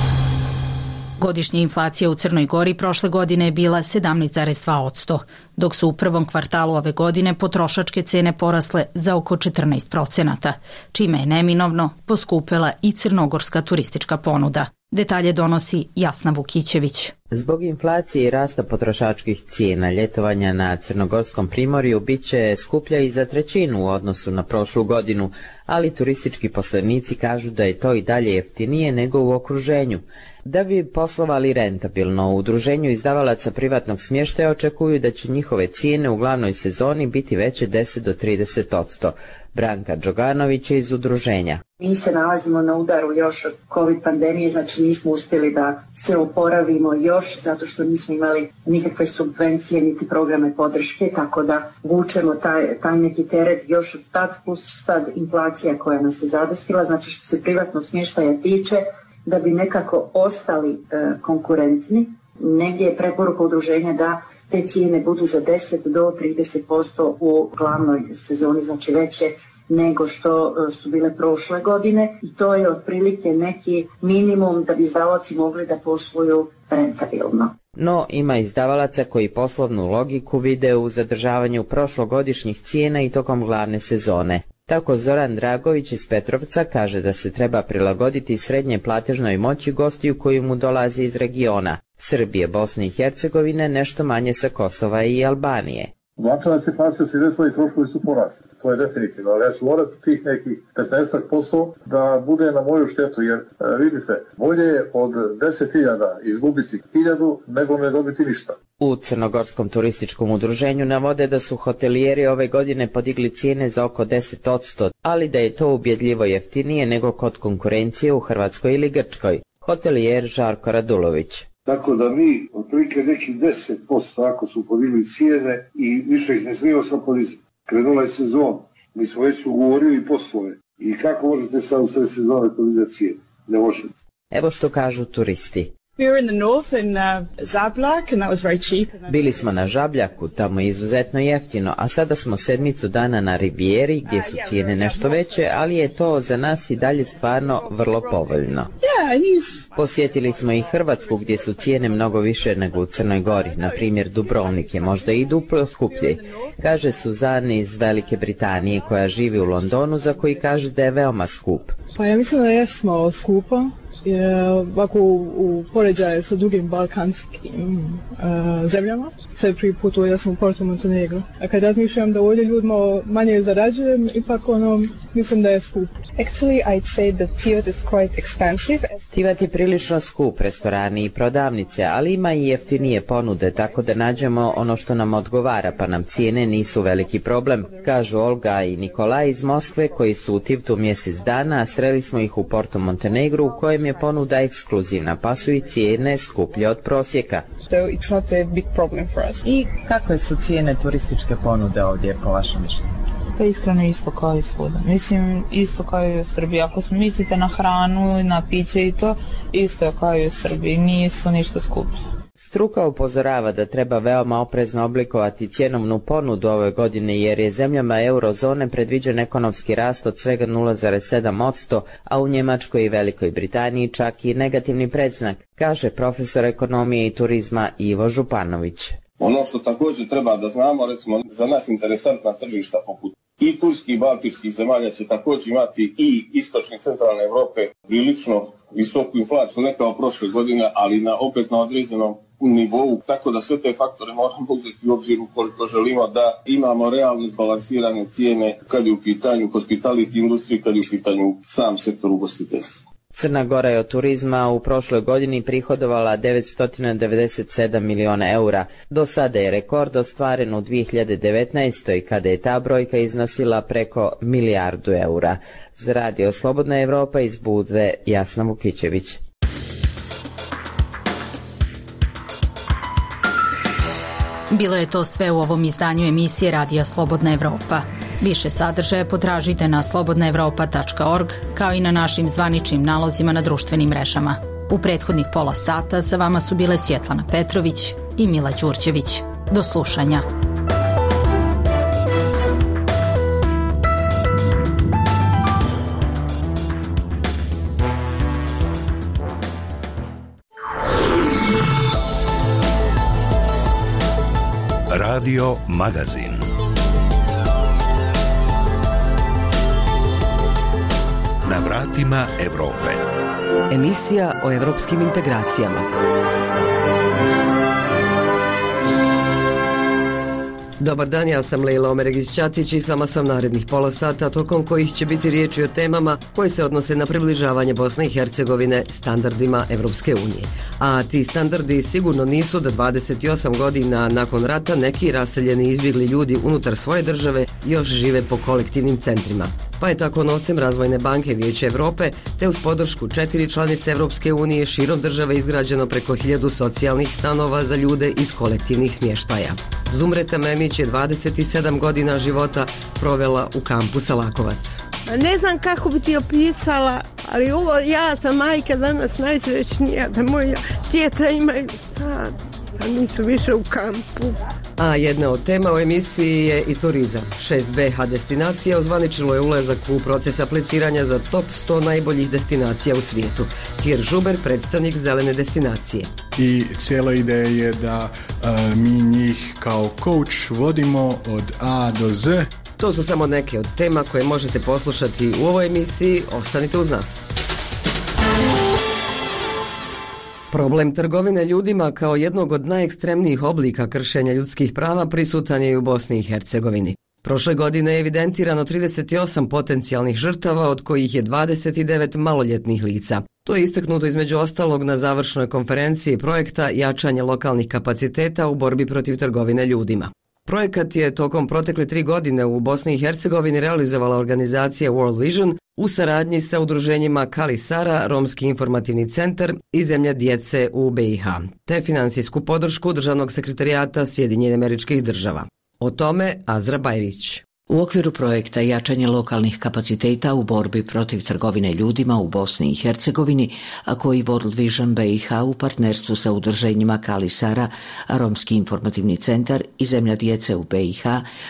Godišnja inflacija u Crnoj Gori prošle godine je bila 17,2%, dok su u prvom kvartalu ove godine potrošačke cene porasle za oko 14%, čime je neminovno poskupela i crnogorska turistička ponuda. Detalje donosi Jasna Vukićević. Zbog inflacije i rasta potrošačkih cijena, ljetovanja na Crnogorskom primorju bit će skuplja i za trećinu u odnosu na prošlu godinu, ali turistički poslenici kažu da je to i dalje jeftinije nego u okruženju. Da bi poslovali rentabilno, u udruženju izdavalaca privatnog smještaja očekuju da će njihove cijene u glavnoj sezoni biti veće 10 do 30%. Branka Đoganović je iz udruženja. Mi se nalazimo na udaru još od COVID pandemije, znači nismo uspjeli da se oporavimo još zato što nismo imali nikakve subvencije niti programe podrške, tako da vučemo taj neki teret još od tad, plus sad inflacija koja nas je zadesila. Znači što se privatnog smještaja tiče, da bi nekako ostali konkurentni, negdje je preporuka udruženja da te cijene budu za 10 do 30% u glavnoj sezoni, znači veće nego što su bile prošle godine, i to je otprilike neki minimum da bi izdavaoci mogli da posluju rentabilno. No, ima izdavalaca koji poslovnu logiku vide u zadržavanju prošlogodišnjih cijena i tokom glavne sezone. Tako Zoran Dragović iz Petrovca kaže da se treba prilagoditi srednje platežnoj moći gostiju koji mu dolazi iz regiona Srbije, Bosne i Hercegovine, nešto manje sa Kosova i Albanije. Značajna inflacija se desila i troškovi su porasli. To je definitivno, ali ja ću morati tih nekih 15% da bude na moju štetu, jer vidite, bolje je od 10.000 izgubiti 1.000 nego ne dobiti ništa. U Crnogorskom turističkom udruženju navode da su hotelijeri ove godine podigli cijene za oko 10%, ali da je to ubjedljivo jeftinije nego kod konkurencije u Hrvatskoj ili Grčkoj. Hotelijer Žarko Radulović. Tako da mi otprilike neki 10% ako su podigli cijene i više ih ne smijemo sam podizati. Krenula je sezon, mi smo već ugovorili poslove i kako možete sad u sve sezone podizati cijene? Ne možete. Evo što kažu turisti. Bili smo na Žabljaku, tamo je izuzetno jeftino, a sada smo 7 dana na Rivijeri gdje su cijene nešto veće, ali je to za nas i dalje stvarno vrlo povoljno. Posjetili smo i Hrvatsku gdje su cijene mnogo više nego u Crnoj Gori, na primjer Dubrovnik je možda i duplo skuplji, kaže Suzana iz Velike Britanije koja živi u Londonu, za koji kaže da je veoma skup. Pa ja mislim da je malo skupo. Ovako u poređaju sa drugim balkanskim zemljama. Sad prvi put ja sam u Porto Montenegro. A kad razmišljam da ovdje ljudima manje zarađujem, ipak mislim da je skup. Actually, I'd say that Tivat is quite expensive. Tivat je prilično skup, restorani i prodavnice, ali ima i jeftinije ponude, tako da nađemo ono što nam odgovara, pa nam cijene nisu veliki problem, kažu Olga i Nikolaj iz Moskve koji su u Tivtu mjesec dana, a sreli smo ih u Porto Montenegru u kojem je ponuda ekskluzivna, pa su i cijene skuplje od prosjeka. So it's not a big problem for us. I kakve su cijene turističke ponude ovdje po vašem mišljenju? Pa iskreno isto kao i svuda. Mislim, isto kao i u Srbiji. Ako mislite na hranu, na piće i to, isto kao i u Srbiji. Nisu ništa skuplje. Struka upozorava da treba veoma oprezno oblikovati cjenovnu ponudu ove godine jer je zemljama eurozone predviđen ekonomski rast od svega 0,7%, a u Njemačkoj i Velikoj Britaniji čak i negativni predznak, kaže profesor ekonomije i turizma Ivo Županović. Ono što također treba da znamo, recimo za nas interesantna tržišta poput i turskih i baltičkih zemalja će također imati i istočne i centralne Evrope prilično visoku inflaciju, ne kao prošle godine, ali opet na određenom nivou, tako da sve te faktore moramo uzeti u obzir ukoliko želimo da imamo realno izbalansirane cijene kad je u pitanju hospitality industriji, kad je u pitanju sam sektor ugostiteljstva. Crna Gora je od turizma u prošloj godini prihodovala 997 miliona eura. Do sada je rekord ostvaren u 2019. kada je ta brojka iznosila preko milijardu eura. Za Radio Slobodna Evropa iz Budve, Jasna Vukićević. Bilo je to sve u ovom izdanju emisije Radija Slobodna Evropa. Više sadržaja potražite na slobodnaevropa.org, kao i na našim zvaničnim nalozima na društvenim mrežama. U prethodnih pola sata sa vama su bile Svjetlana Petrović i Mila Đurđević. Do slušanja. Radio Magazin. Na vratima Evrope. Emisija o evropskim integracijama. Dobar dan, ja sam Lejla Omeregić-Ćatić i s vama sam narednih pola sata, tokom kojih će biti riječi o temama koje se odnose na približavanje Bosne i Hercegovine standardima Evropske unije. A ti standardi sigurno nisu da 28 godina nakon rata neki raseljeni izbjegli ljudi unutar svoje države još žive po kolektivnim centrima. Pa je tako novcem Razvojne banke Vijeća Evrope te uz podršku 4 članice Evropske unije širom države izgrađeno preko 1000 socijalnih stanova za ljude iz kolektivnih smještaja. Zumreta Memić je 27 godina života provela u kampu Salakovac. Ne znam kako bi ti opisala, ali ovo, ja sam majka danas najsrećnija da moja djeca imaju stan, a nisu više u kampu. A jedna od tema u emisiji je i turizam. 6 BH destinacija ozvaničilo je ulazak u proces apliciranja za top 100 najboljih destinacija u svijetu. Tjer Žuber, predstavnik zelene destinacije. I cijela ideja je da mi njih kao coach vodimo od A do Z. To su samo neke od tema koje možete poslušati u ovoj emisiji. Ostanite uz nas. Problem trgovine ljudima kao jednog od najekstremnijih oblika kršenja ljudskih prava prisutan je i u Bosni i Hercegovini. Prošle godine je evidentirano 38 potencijalnih žrtava, od kojih je 29 maloljetnih lica. To je istaknuto između ostalog na završnoj konferenciji projekta Jačanje lokalnih kapaciteta u borbi protiv trgovine ljudima. Projekat je tokom protekle 3 godine u Bosni i Hercegovini realizovala organizacija World Vision u saradnji sa udruženjima Kali Sara, Romski informativni centar i Zemlja djece u BiH, te finansijsku podršku Državnog sekretarijata Sjedinjenih Američkih Država. O tome Azra Bajrić. U okviru projekta Jačanje lokalnih kapaciteta u borbi protiv trgovine ljudima u Bosni i Hercegovini, a koji World Vision BiH u partnerstvu sa udruženjima Kali Sara, Romski informativni centar i Zemlja djece u BiH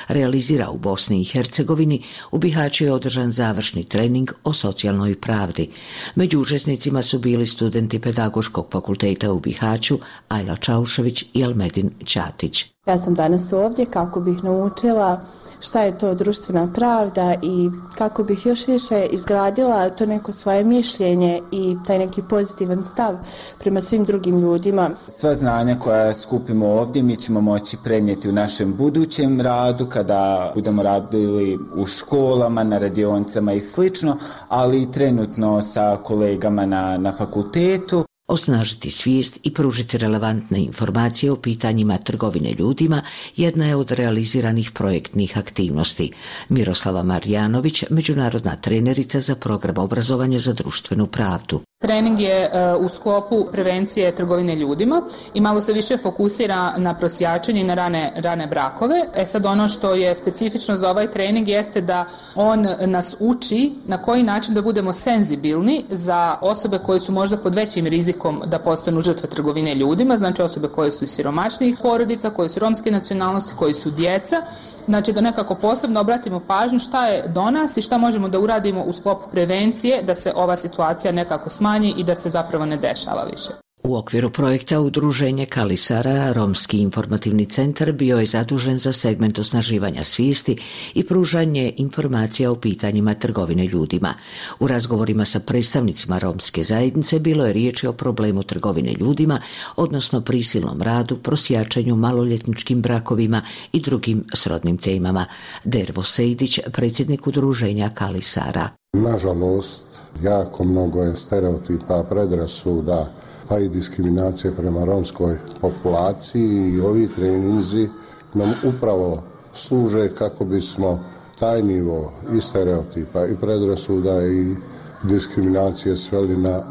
realizira u Bosni i Hercegovini, u Bihaću je održan završni trening o socijalnoj pravdi. Među učesnicima su bili studenti Pedagoškog fakulteta u Bihaću Ajla Čaušević i Almedin Ćatić. Ja sam danas ovdje kako bih naučila šta je to društvena pravda i kako bih još više izgradila to neko svoje mišljenje i taj neki pozitivan stav prema svim drugim ljudima. Sva znanja koja skupimo ovdje mi ćemo moći prenijeti u našem budućem radu kada budemo radili u školama, na radionicama i slično, ali i trenutno sa kolegama na fakultetu. Osnažiti svijest i pružiti relevantne informacije o pitanjima trgovine ljudima jedna je od realiziranih projektnih aktivnosti. Miroslava Marjanović, međunarodna trenerica za program obrazovanja za društvenu pravdu. Trening je u sklopu prevencije trgovine ljudima i malo se više fokusira na prosjačenje i na rane brakove. Sad ono što je specifično za ovaj trening jeste da on nas uči na koji način da budemo senzibilni za osobe koje su možda pod većim rizikom da postanu žrtve trgovine ljudima, znači osobe koje su iz siromašnijih porodica, koje su romske nacionalnosti, koji su djeca. Znači da nekako posebno obratimo pažnju šta je do nas i šta možemo da uradimo u sklopu prevencije da se ova situacija nekako smanji i da se zapravo ne dešava više. U okviru projekta Udruženje Kalisara, Romski informativni centar bio je zadužen za segment osnaživanja svijesti i pružanje informacija o pitanjima trgovine ljudima. U razgovorima sa predstavnicima romske zajednice bilo je riječi o problemu trgovine ljudima, odnosno prisilnom radu, prosjačanju, maloljetničkim brakovima i drugim srodnim temama. Dervo Sejdić, predsjednik Udruženja Kalisara. Nažalost, jako mnogo je stereotipa, predrasuda, pa i diskriminacije prema romskoj populaciji i ovi treninzi nam upravo služe kako bismo taj nivo i stereotipa i predrasuda i diskriminacije sveli na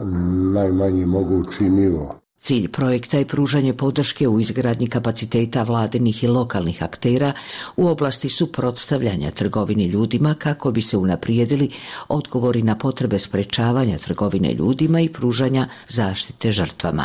najmanji mogući nivo. Cilj projekta je pružanje podrške u izgradnji kapaciteta vladinih i lokalnih aktera u oblasti suprotstavljanja trgovini ljudima kako bi se unaprijedili odgovori na potrebe sprečavanja trgovine ljudima i pružanja zaštite žrtvama.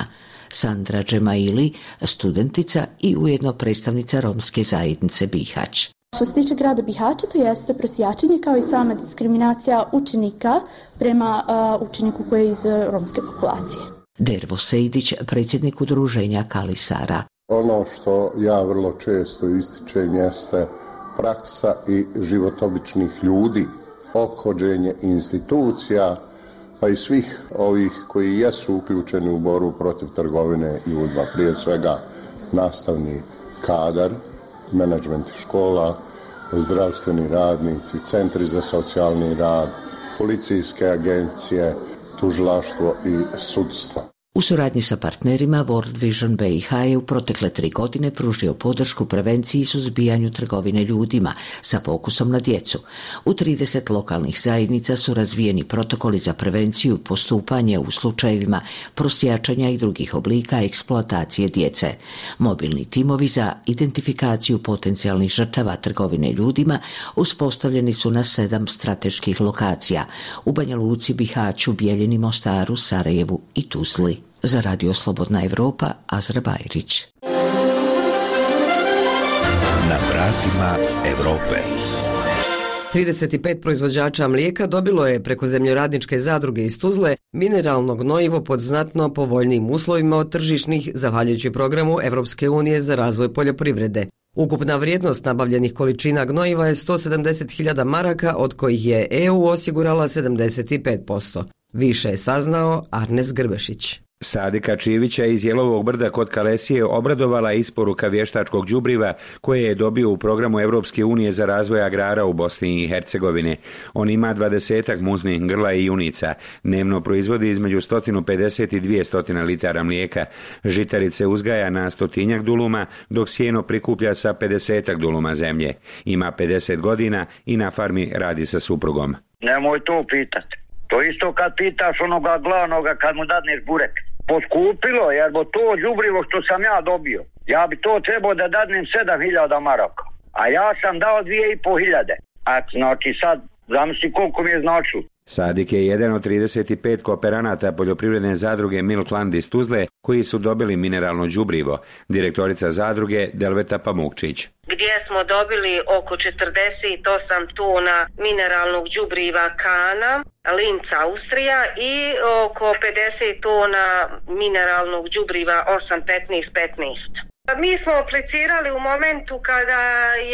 Sandra Džemaili, studentica i ujedno predstavnica romske zajednice Bihać. Što se tiče grada Bihaća, to jeste prosjačenje kao i sama diskriminacija učenika prema učeniku koji je iz romske populacije. Dervo Sejdić, predsjednik Udruženja Kalisara. Ono što ja vrlo često ističem jeste praksa i život običnih ljudi, ophođenje institucija, pa i svih ovih koji jesu uključeni u borbu protiv trgovine ljudima, prije svega nastavni kadar, menadžment škola, zdravstveni radnici, centri za socijalni rad, policijske agencije, tužilaštvo i sudstvo. U suradnji sa partnerima World Vision BiH je u protekle 3 godine pružio podršku prevenciji i suzbijanju trgovine ljudima sa fokusom na djecu. U 30 lokalnih zajednica su razvijeni protokoli za prevenciju i postupanje u slučajevima prosjačanja i drugih oblika eksploatacije djece. Mobilni timovi za identifikaciju potencijalnih žrtava trgovine ljudima uspostavljeni su na 7 strateških lokacija u Banja Luci, Bihaću, Bijeljini, Mostaru, Sarajevu i Tuzli. Za Radio Slobodna Evropa, Azra Bajrić. Na vratima Evrope. 35 proizvođača mlijeka dobilo je preko zemljoradničke zadruge iz Tuzle mineralno gnojivo pod znatno povoljnijim uslovima od tržišnih, zahvaljujući programu Evropske unije za razvoj poljoprivrede. Ukupna vrijednost nabavljenih količina gnojiva je 170.000 maraka, od kojih je EU osigurala 75%. Više je saznao Arnes Grbešić. Sadika Čivića iz Jelovog brda kod Kalesije obradovala isporuka vještačkog đubriva koje je dobio u programu Evropske unije za razvoj agrara u Bosni i Hercegovini. On ima 20 muznih grla i junica. Dnevno proizvodi između 150 i 200 litara mlijeka. Žitarice uzgaja na 100 duluma, dok sjeno prikuplja sa 50 duluma zemlje. Ima 50 godina i na farmi radi sa suprugom. Nemoj to pitati. To isto kad pitaš onoga glavnoga kad mu dadneš burek. Poskupilo, jer bo to đubrivo što sam ja dobio. Ja bi to trebao da dadnem 7.000 maraka. A ja sam dao 2.500. A znači sad, zamisli koliko mi je značilo. Sadik je jedan od 35 kooperanata poljoprivredne zadruge Milkland iz Tuzle koji su dobili mineralno đubrivo. Direktorica zadruge Delveta Pamukčić. Gdje smo dobili oko 48 tona mineralnog đubriva Kana, Linz Austrija i oko 50 tona mineralnog đubriva 8-15-15. Mi smo aplicirali u momentu kada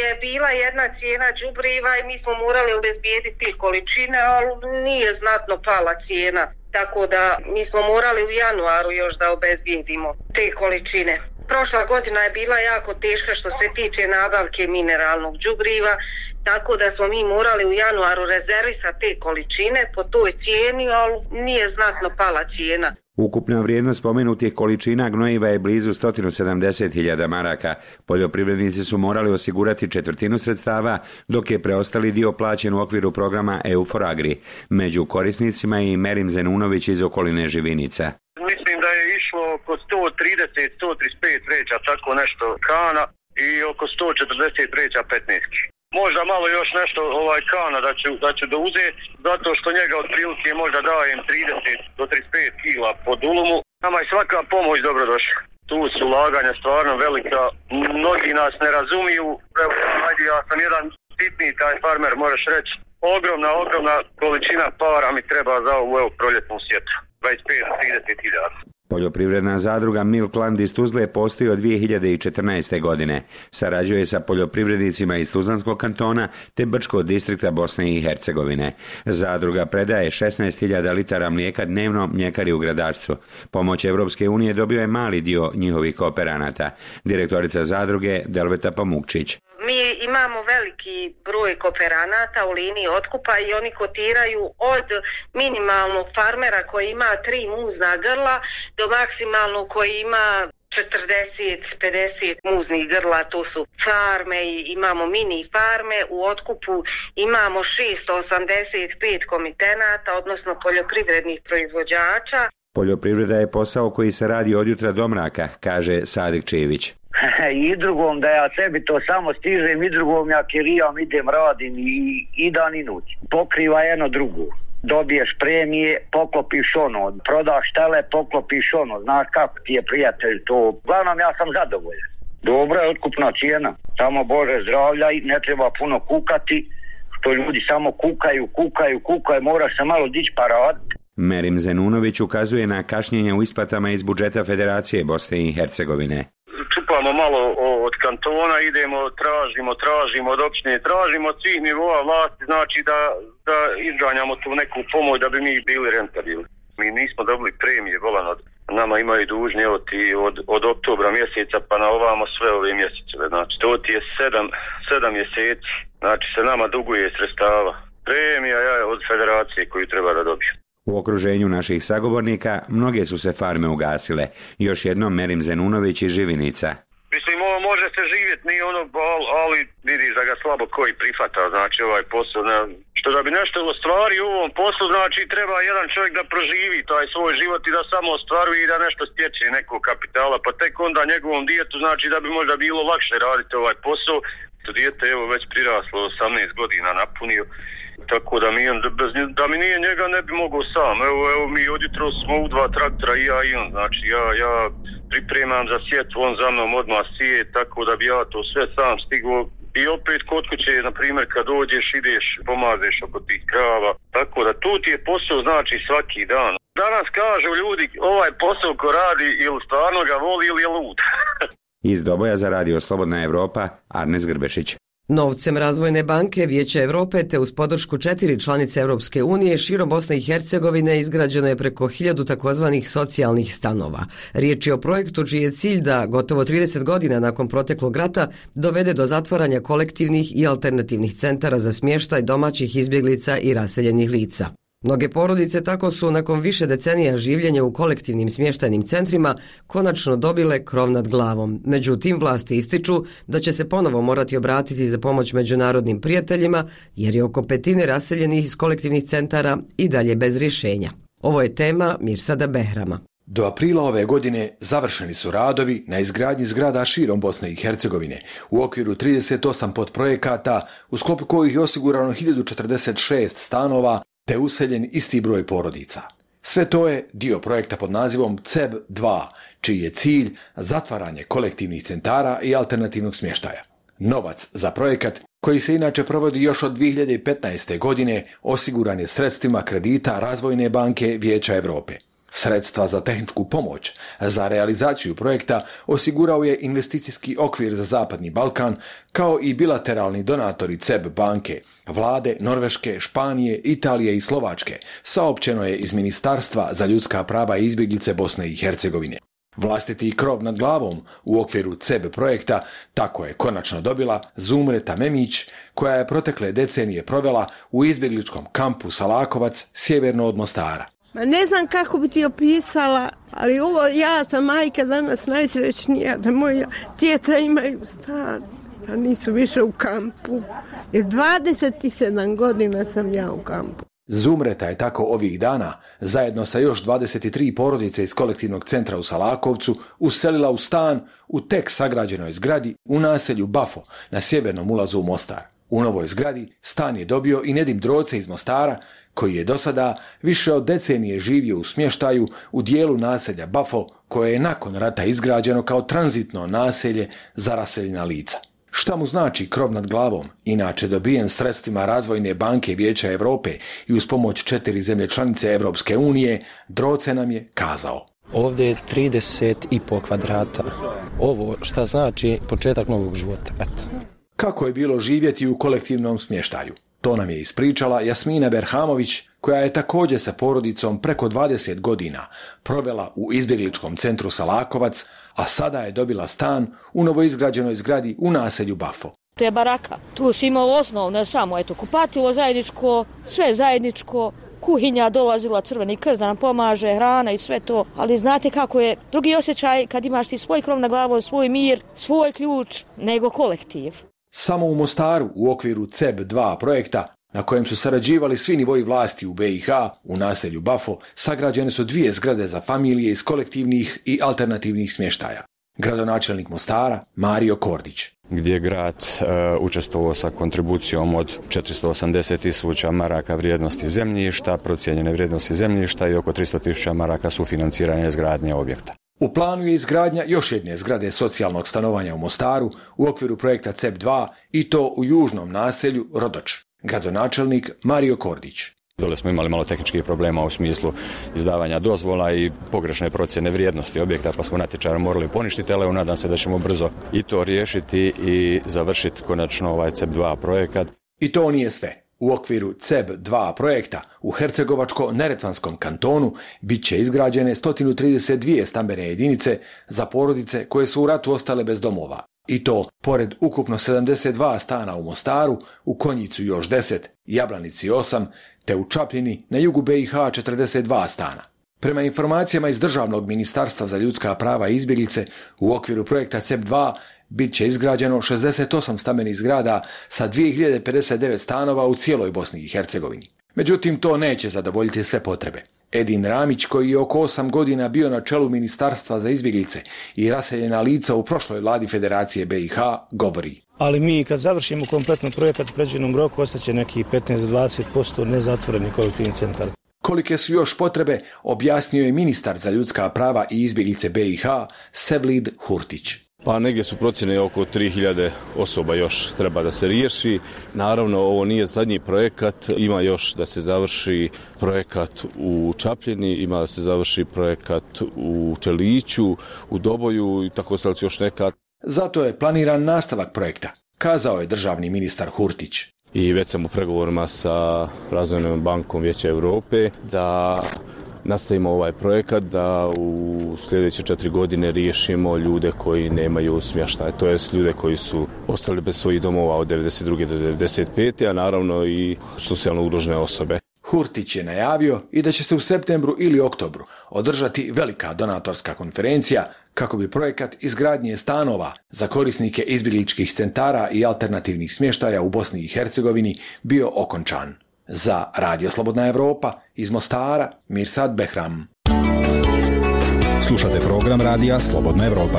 je bila jedna cijena đubriva i mi smo morali obezbijediti količine, ali nije znatno pala cijena. Tako da mi smo morali u januaru još da obezbijedimo te količine. Prošla godina je bila jako teška što se tiče nabavke mineralnog đubriva, tako da smo mi morali u januaru rezervisati te količine po toj cijeni, ali nije znatno pala cijena. Ukupna vrijednost spomenutih količina gnojiva je blizu 170.000 maraka. Poljoprivrednici su morali osigurati 1/4 sredstava, dok je preostali dio plaćen u okviru programa EU4 Agri. Među korisnicima je i Merim Zenunović iz okoline Živinica. Mislim da je išlo oko 130-135 vreća, tako nešto Kana i oko 140 vreća 15. Možda malo još nešto Kana da ću da uzeti, zato što njega otprilike možda dajem 30 do 35 kila po dulumu. Nama je svaka pomoć dobrodošla. Tu su ulaganja stvarno velika, mnogi nas ne razumiju. Evo, ja sam jedan sitni taj farmer, moraš reći. Ogromna količina para mi treba za ovu proljetnu sjetvu. 25 do 30 hiljada. Poljoprivredna zadruga Milkland iz Tuzle postoji od 2014. godine. Sarađuje sa poljoprivrednicima iz Tuzlanskog kantona te Brčkog distrikta Bosne i Hercegovine. Zadruga predaje 16.000 litara mlijeka dnevno mljekari u Gradačcu. Pomoć Evropske unije dobio je mali dio njihovih kooperanata. Direktorica zadruge Delveta Pamukčić. Mi imamo veliki broj kooperanata u liniji otkupa i oni kotiraju od minimalnog farmera koji ima 3 muzna grla do maksimalnog koji ima 40-50 muznih grla, to su farme i imamo mini farme. U otkupu imamo 685 komitenata, odnosno poljoprivrednih proizvođača. Poljoprivreda je posao koji se radi od jutra do mraka, kaže Sadik Čević. I drugom da ja sebi to samo stižem, i drugom ja kirijam, idem, radim i dan i noć. Pokriva jedno drugo. Dobiješ premije, poklopiš ono, prodaš tele, poklopiš ono, znaš kako ti je prijatelj to. Uglavnom ja sam zadovoljan. Dobra je otkupna cijena, samo Bože zdravlja i ne treba puno kukati, što ljudi samo kukaju, moraš se malo dići pa raditi. Merim Zenunović ukazuje na kašnjenje u isplatama iz budžeta Federacije Bosne i Hercegovine. Čupamo malo od kantona, idemo, tražimo od opštine, tražimo od svih nivoa vlasti, znači da izganjamo tu neku pomoć da bi mi bili rentabilni. Mi nismo dobili premije, volan od nama imaju dužni od oktobra mjeseca pa na ovamo sve ove mjesece. Znači to ti je 7 mjeseci, znači se nama duguje sredstava. Premija je od federacije koju treba da dobiju. U okruženju naših sagovornika mnoge su se farme ugasile. Još jednom Merim Zenunović iz Živinica. Mislim, može se živjeti, nije ono, ali vidiš da ga slabo koji prihvata, znači ovaj posao. Što da bi nešto ostvario u ovom poslu, znači treba jedan čovjek da proživi taj svoj život i da samo ostvaruje i da nešto stječe nekog kapitala, pa tek onda njegovom djetu, znači da bi možda bilo lakše raditi ovaj posao. To dijete evo već priraslo, 18 godina napunio. Tako da mi nije njega ne bi mogao sam. Evo mi odjutro smo u 2 traktora i ja i on. Znači ja pripremam za sjetvu, on za mnom odmah sije, tako da bi ja to sve sam stigao. I opet kod kuće, na primjer, kad dođeš, ideš, pomazeš oko tih krava. Tako da tu ti je posao znači svaki dan. Danas kažu ljudi, ovaj posao ko radi ili stvarno ga voli ili je lud. Iz Doboja za Radio Slobodna Evropa, Arnes Grbešić. Novcem Razvojne banke Vijeća Europe te uz podršku 4 članice Europske unije širom Bosne i Hercegovine izgrađeno je preko 1000 takozvanih socijalnih stanova. Riječ je o projektu čiji je cilj da gotovo 30 godina nakon proteklog rata dovede do zatvaranja kolektivnih i alternativnih centara za smještaj domaćih izbjeglica i raseljenih lica. Mnoge porodice tako su nakon više decenija življenja u kolektivnim smještajnim centrima konačno dobile krov nad glavom. Međutim, vlasti ističu da će se ponovo morati obratiti za pomoć međunarodnim prijateljima jer je oko 1/5 raseljenih iz kolektivnih centara i dalje bez rješenja. Ovo je tema Mirsada Behrama. Do aprila ove godine završeni su radovi na izgradnji zgrada širom Bosne i Hercegovine u okviru 38 podprojekata u sklopu kojih je osigurano 1046 stanova te useljen isti broj porodica. Sve to je dio projekta pod nazivom CEB 2, čiji je cilj zatvaranje kolektivnih centara i alternativnog smještaja. Novac za projekat, koji se inače provodi još od 2015. godine, osiguran je sredstvima kredita Razvojne banke Vijeća Europe. Sredstva za tehničku pomoć za realizaciju projekta osigurao je investicijski okvir za Zapadni Balkan, kao i bilateralni donatori CEB banke, vlade Norveške, Španije, Italije i Slovačke, saopćeno je iz Ministarstva za ljudska prava i izbjeglice Bosne i Hercegovine. Vlastiti krov nad glavom u okviru CEB projekta tako je konačno dobila Zumreta Memić, koja je protekle decenije provela u izbjegličkom kampu Salakovac, sjeverno od Mostara. Ma ne znam kako bi ti opisala, ali ja sam majka danas najsrećnija da moja djeca imaju stan, da nisu više u kampu. Jer 27 godina sam ja u kampu. Zumreta je tako ovih dana, zajedno sa još 23 porodice iz kolektivnog centra u Salakovcu, uselila u stan u tek sagrađenoj zgradi u naselju Bafo na sjevernom ulazu u Mostar. U novoj zgradi stan je dobio i Nedim Droce iz Mostara, koji je do sada više od decenije živio u smještaju u dijelu naselja Bafo, koje je nakon rata izgrađeno kao tranzitno naselje za raseljena lica. Šta mu znači krov nad glavom, inače dobijen sredstvima Razvojne banke Vijeća Europe i uz pomoć 4 zemlje članice Europske unije, Droce nam je kazao. Ovdje je 30,5 kvadrata. Ovo šta znači početak novog života. Eto. Kako je bilo živjeti u kolektivnom smještaju? To nam je ispričala Jasmina Berhamović, koja je također sa porodicom preko 20 godina provela u izbjegličkom centru Salakovac, a sada je dobila stan u novoizgrađenoj zgradi u naselju Bafo. To je baraka. Tu si imao osnovno samo kupatilo zajedničko, sve zajedničko, kuhinja, dolazila Crveni krst da nam pomaže, hrana i sve to. Ali znate kako je drugi osjećaj kad imaš ti svoj krov na glavu, svoj mir, svoj ključ, nego kolektiv. Samo u Mostaru u okviru CEB2 projekta, na kojem su sarađivali svi nivoji vlasti u BiH, u naselju Bafo, sagrađene su 2 zgrade za familije iz kolektivnih i alternativnih smještaja. Gradonačelnik Mostara Mario Kordić. Gdje je grad učestvovao sa kontribucijom od 480.000 maraka vrijednosti zemljišta, procijenjene vrijednosti zemljišta i oko 300.000 maraka sufinanciranja izgradnje objekta. U planu je izgradnja još jedne zgrade socijalnog stanovanja u Mostaru u okviru projekta CEB2 i to u južnom naselju Rodoč. Gradonačelnik Mario Kordić. Dole smo imali malo tehničkih problema u smislu izdavanja dozvola i pogrešne procjene vrijednosti objekta, pa smo natječaj morali poništiti, ali nadam se da ćemo brzo i to riješiti i završiti konačno ovaj CEB2 projekat. I to nije sve. U okviru CEB2 projekta u Hercegovačko-Neretvanskom kantonu bit će izgrađene 132 stambene jedinice za porodice koje su u ratu ostale bez domova. I to, pored ukupno 72 stana u Mostaru, u Konjicu još 10, Jablanici 8, te u Čapljini na jugu BiH 42 stana. Prema informacijama iz Državnog ministarstva za ljudska prava i izbjeglice, u okviru projekta CEB2 bit će izgrađeno 68 stambenih zgrada sa 2059 stanova u cijeloj Bosni i Hercegovini. Međutim, to neće zadovoljiti sve potrebe. Edin Ramić, koji je oko 8 godina bio na čelu Ministarstva za izbjeglice i raseljena lica u prošloj vladi Federacije BiH, govori. Ali mi kad završimo kompletno projekat u predviđenom roku, ostaće neki 15-20% nezatvoreni kolektivni centar. Kolike su još potrebe, objasnio je ministar za ljudska prava i izbjeglice BiH, Sevlid Hurtić. Pa negdje su procjene oko 3000 osoba još treba da se riješi. Naravno, ovo nije zadnji projekat, ima još da se završi projekat u Čapljini, ima da se završi projekat u Čeliću, u Doboju i tako se još neka. Zato je planiran nastavak projekta, kazao je državni ministar Hurtić. I već sam u pregovorima sa Razvojnom bankom Vijeća Europe da nastavimo ovaj projekat, da u sljedeće 4 godine riješimo ljude koji nemaju smještaj, to jest ljude koji su ostali bez svojih domova od 92. do 95. a naravno i socijalno ugrožene osobe. Hurtić je najavio i da će se u septembru ili oktobru održati velika donatorska konferencija kako bi projekat izgradnje stanova za korisnike izbjegličkih centara i alternativnih smještaja u Bosni i Hercegovini bio okončan. Za Radio Slobodna Evropa iz Mostara, Mirsad Behram. Slušate program Radija Slobodna Evropa.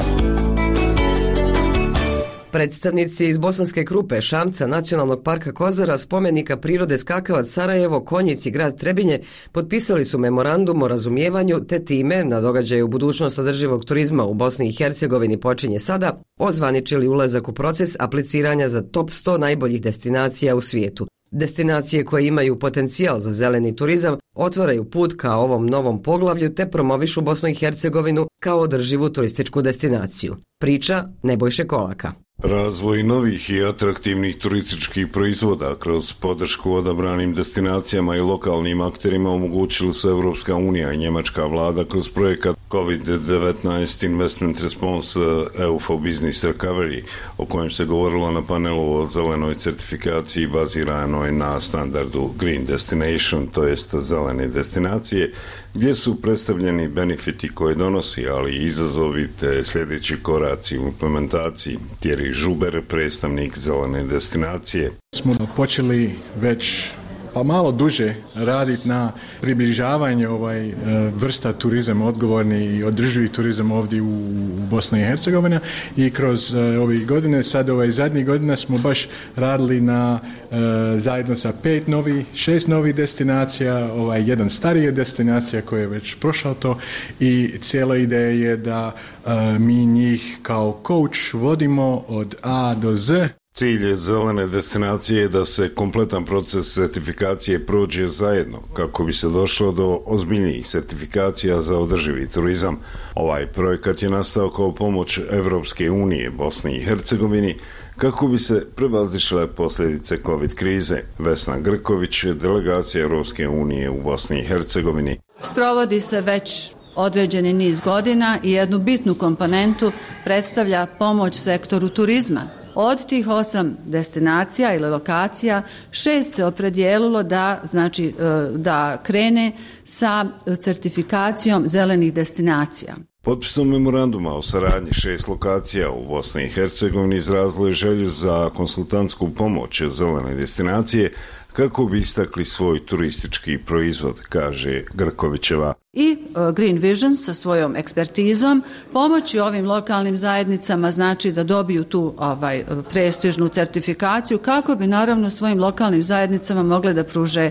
Predstavnici iz Bosanske Krupe, Šamca, Nacionalnog parka Kozara, spomenika prirode Skakavac, Sarajevo, Konjic i grad Trebinje potpisali su memorandum o razumijevanju, te time na događaju budućnost održivog turizma u Bosni i Hercegovini počinje sada, ozvaničili ulazak u proces apliciranja za top 100 najboljih destinacija u svijetu. Destinacije koje imaju potencijal za zeleni turizam otvaraju put ka ovom novom poglavlju te promovišu Bosnu i Hercegovinu kao održivu turističku destinaciju. Priča Nebojše Kolaka. Razvoj novih i atraktivnih turističkih proizvoda kroz podršku odabranim destinacijama i lokalnim akterima omogućili su Evropska unija i njemačka vlada kroz projekat COVID-19 Investment Response EU for Business Recovery, o kojem se govorilo na panelu o zelenoj certifikaciji baziranoj na standardu Green Destination, to jest zelene destinacije, gdje su predstavljeni benefiti koje donosi, ali i izazovi te sljedeći koraci u implementaciji. Thierry Žuber, predstavnik zelene destinacije. Smo počeli već malo duže raditi na približavanju vrsta turizma, odgovorni i održivi turizam ovdje u Bosni i Hercegovini i kroz ove godine, sad zadnjih godina smo baš radili na zajedno sa 6 novih destinacija, jedan starija destinacija koja je već prošao to i cijela ideja je da mi njih kao coach vodimo od A do Z Cilj zelene destinacije je da se kompletan proces sertifikacije prođe zajedno kako bi se došlo do ozbiljnijih sertifikacija za održivi turizam. Ovaj projekat je nastao kao pomoć Evropske unije Bosni i Hercegovini kako bi se prevazišle posljedice COVID krize. Vesna Grković, delegacija Evropske unije u Bosni i Hercegovini. Sprovodi se već određeni niz godina i jednu bitnu komponentu predstavlja pomoć sektoru turizma. Od tih 8 destinacija ili lokacija 6 se opredijelilo da krene sa certifikacijom zelenih destinacija. Potpisom memoranduma o saradnji 6 lokacija u Bosni i Hercegovini izrazilo je želju za konsultantsku pomoć zelene destinacije kako bi istakli svoj turistički proizvod, kaže Grkovićeva. I Green Vision sa svojom ekspertizom pomoći ovim lokalnim zajednicama znači da dobiju tu prestižnu certifikaciju kako bi naravno svojim lokalnim zajednicama mogle da pruže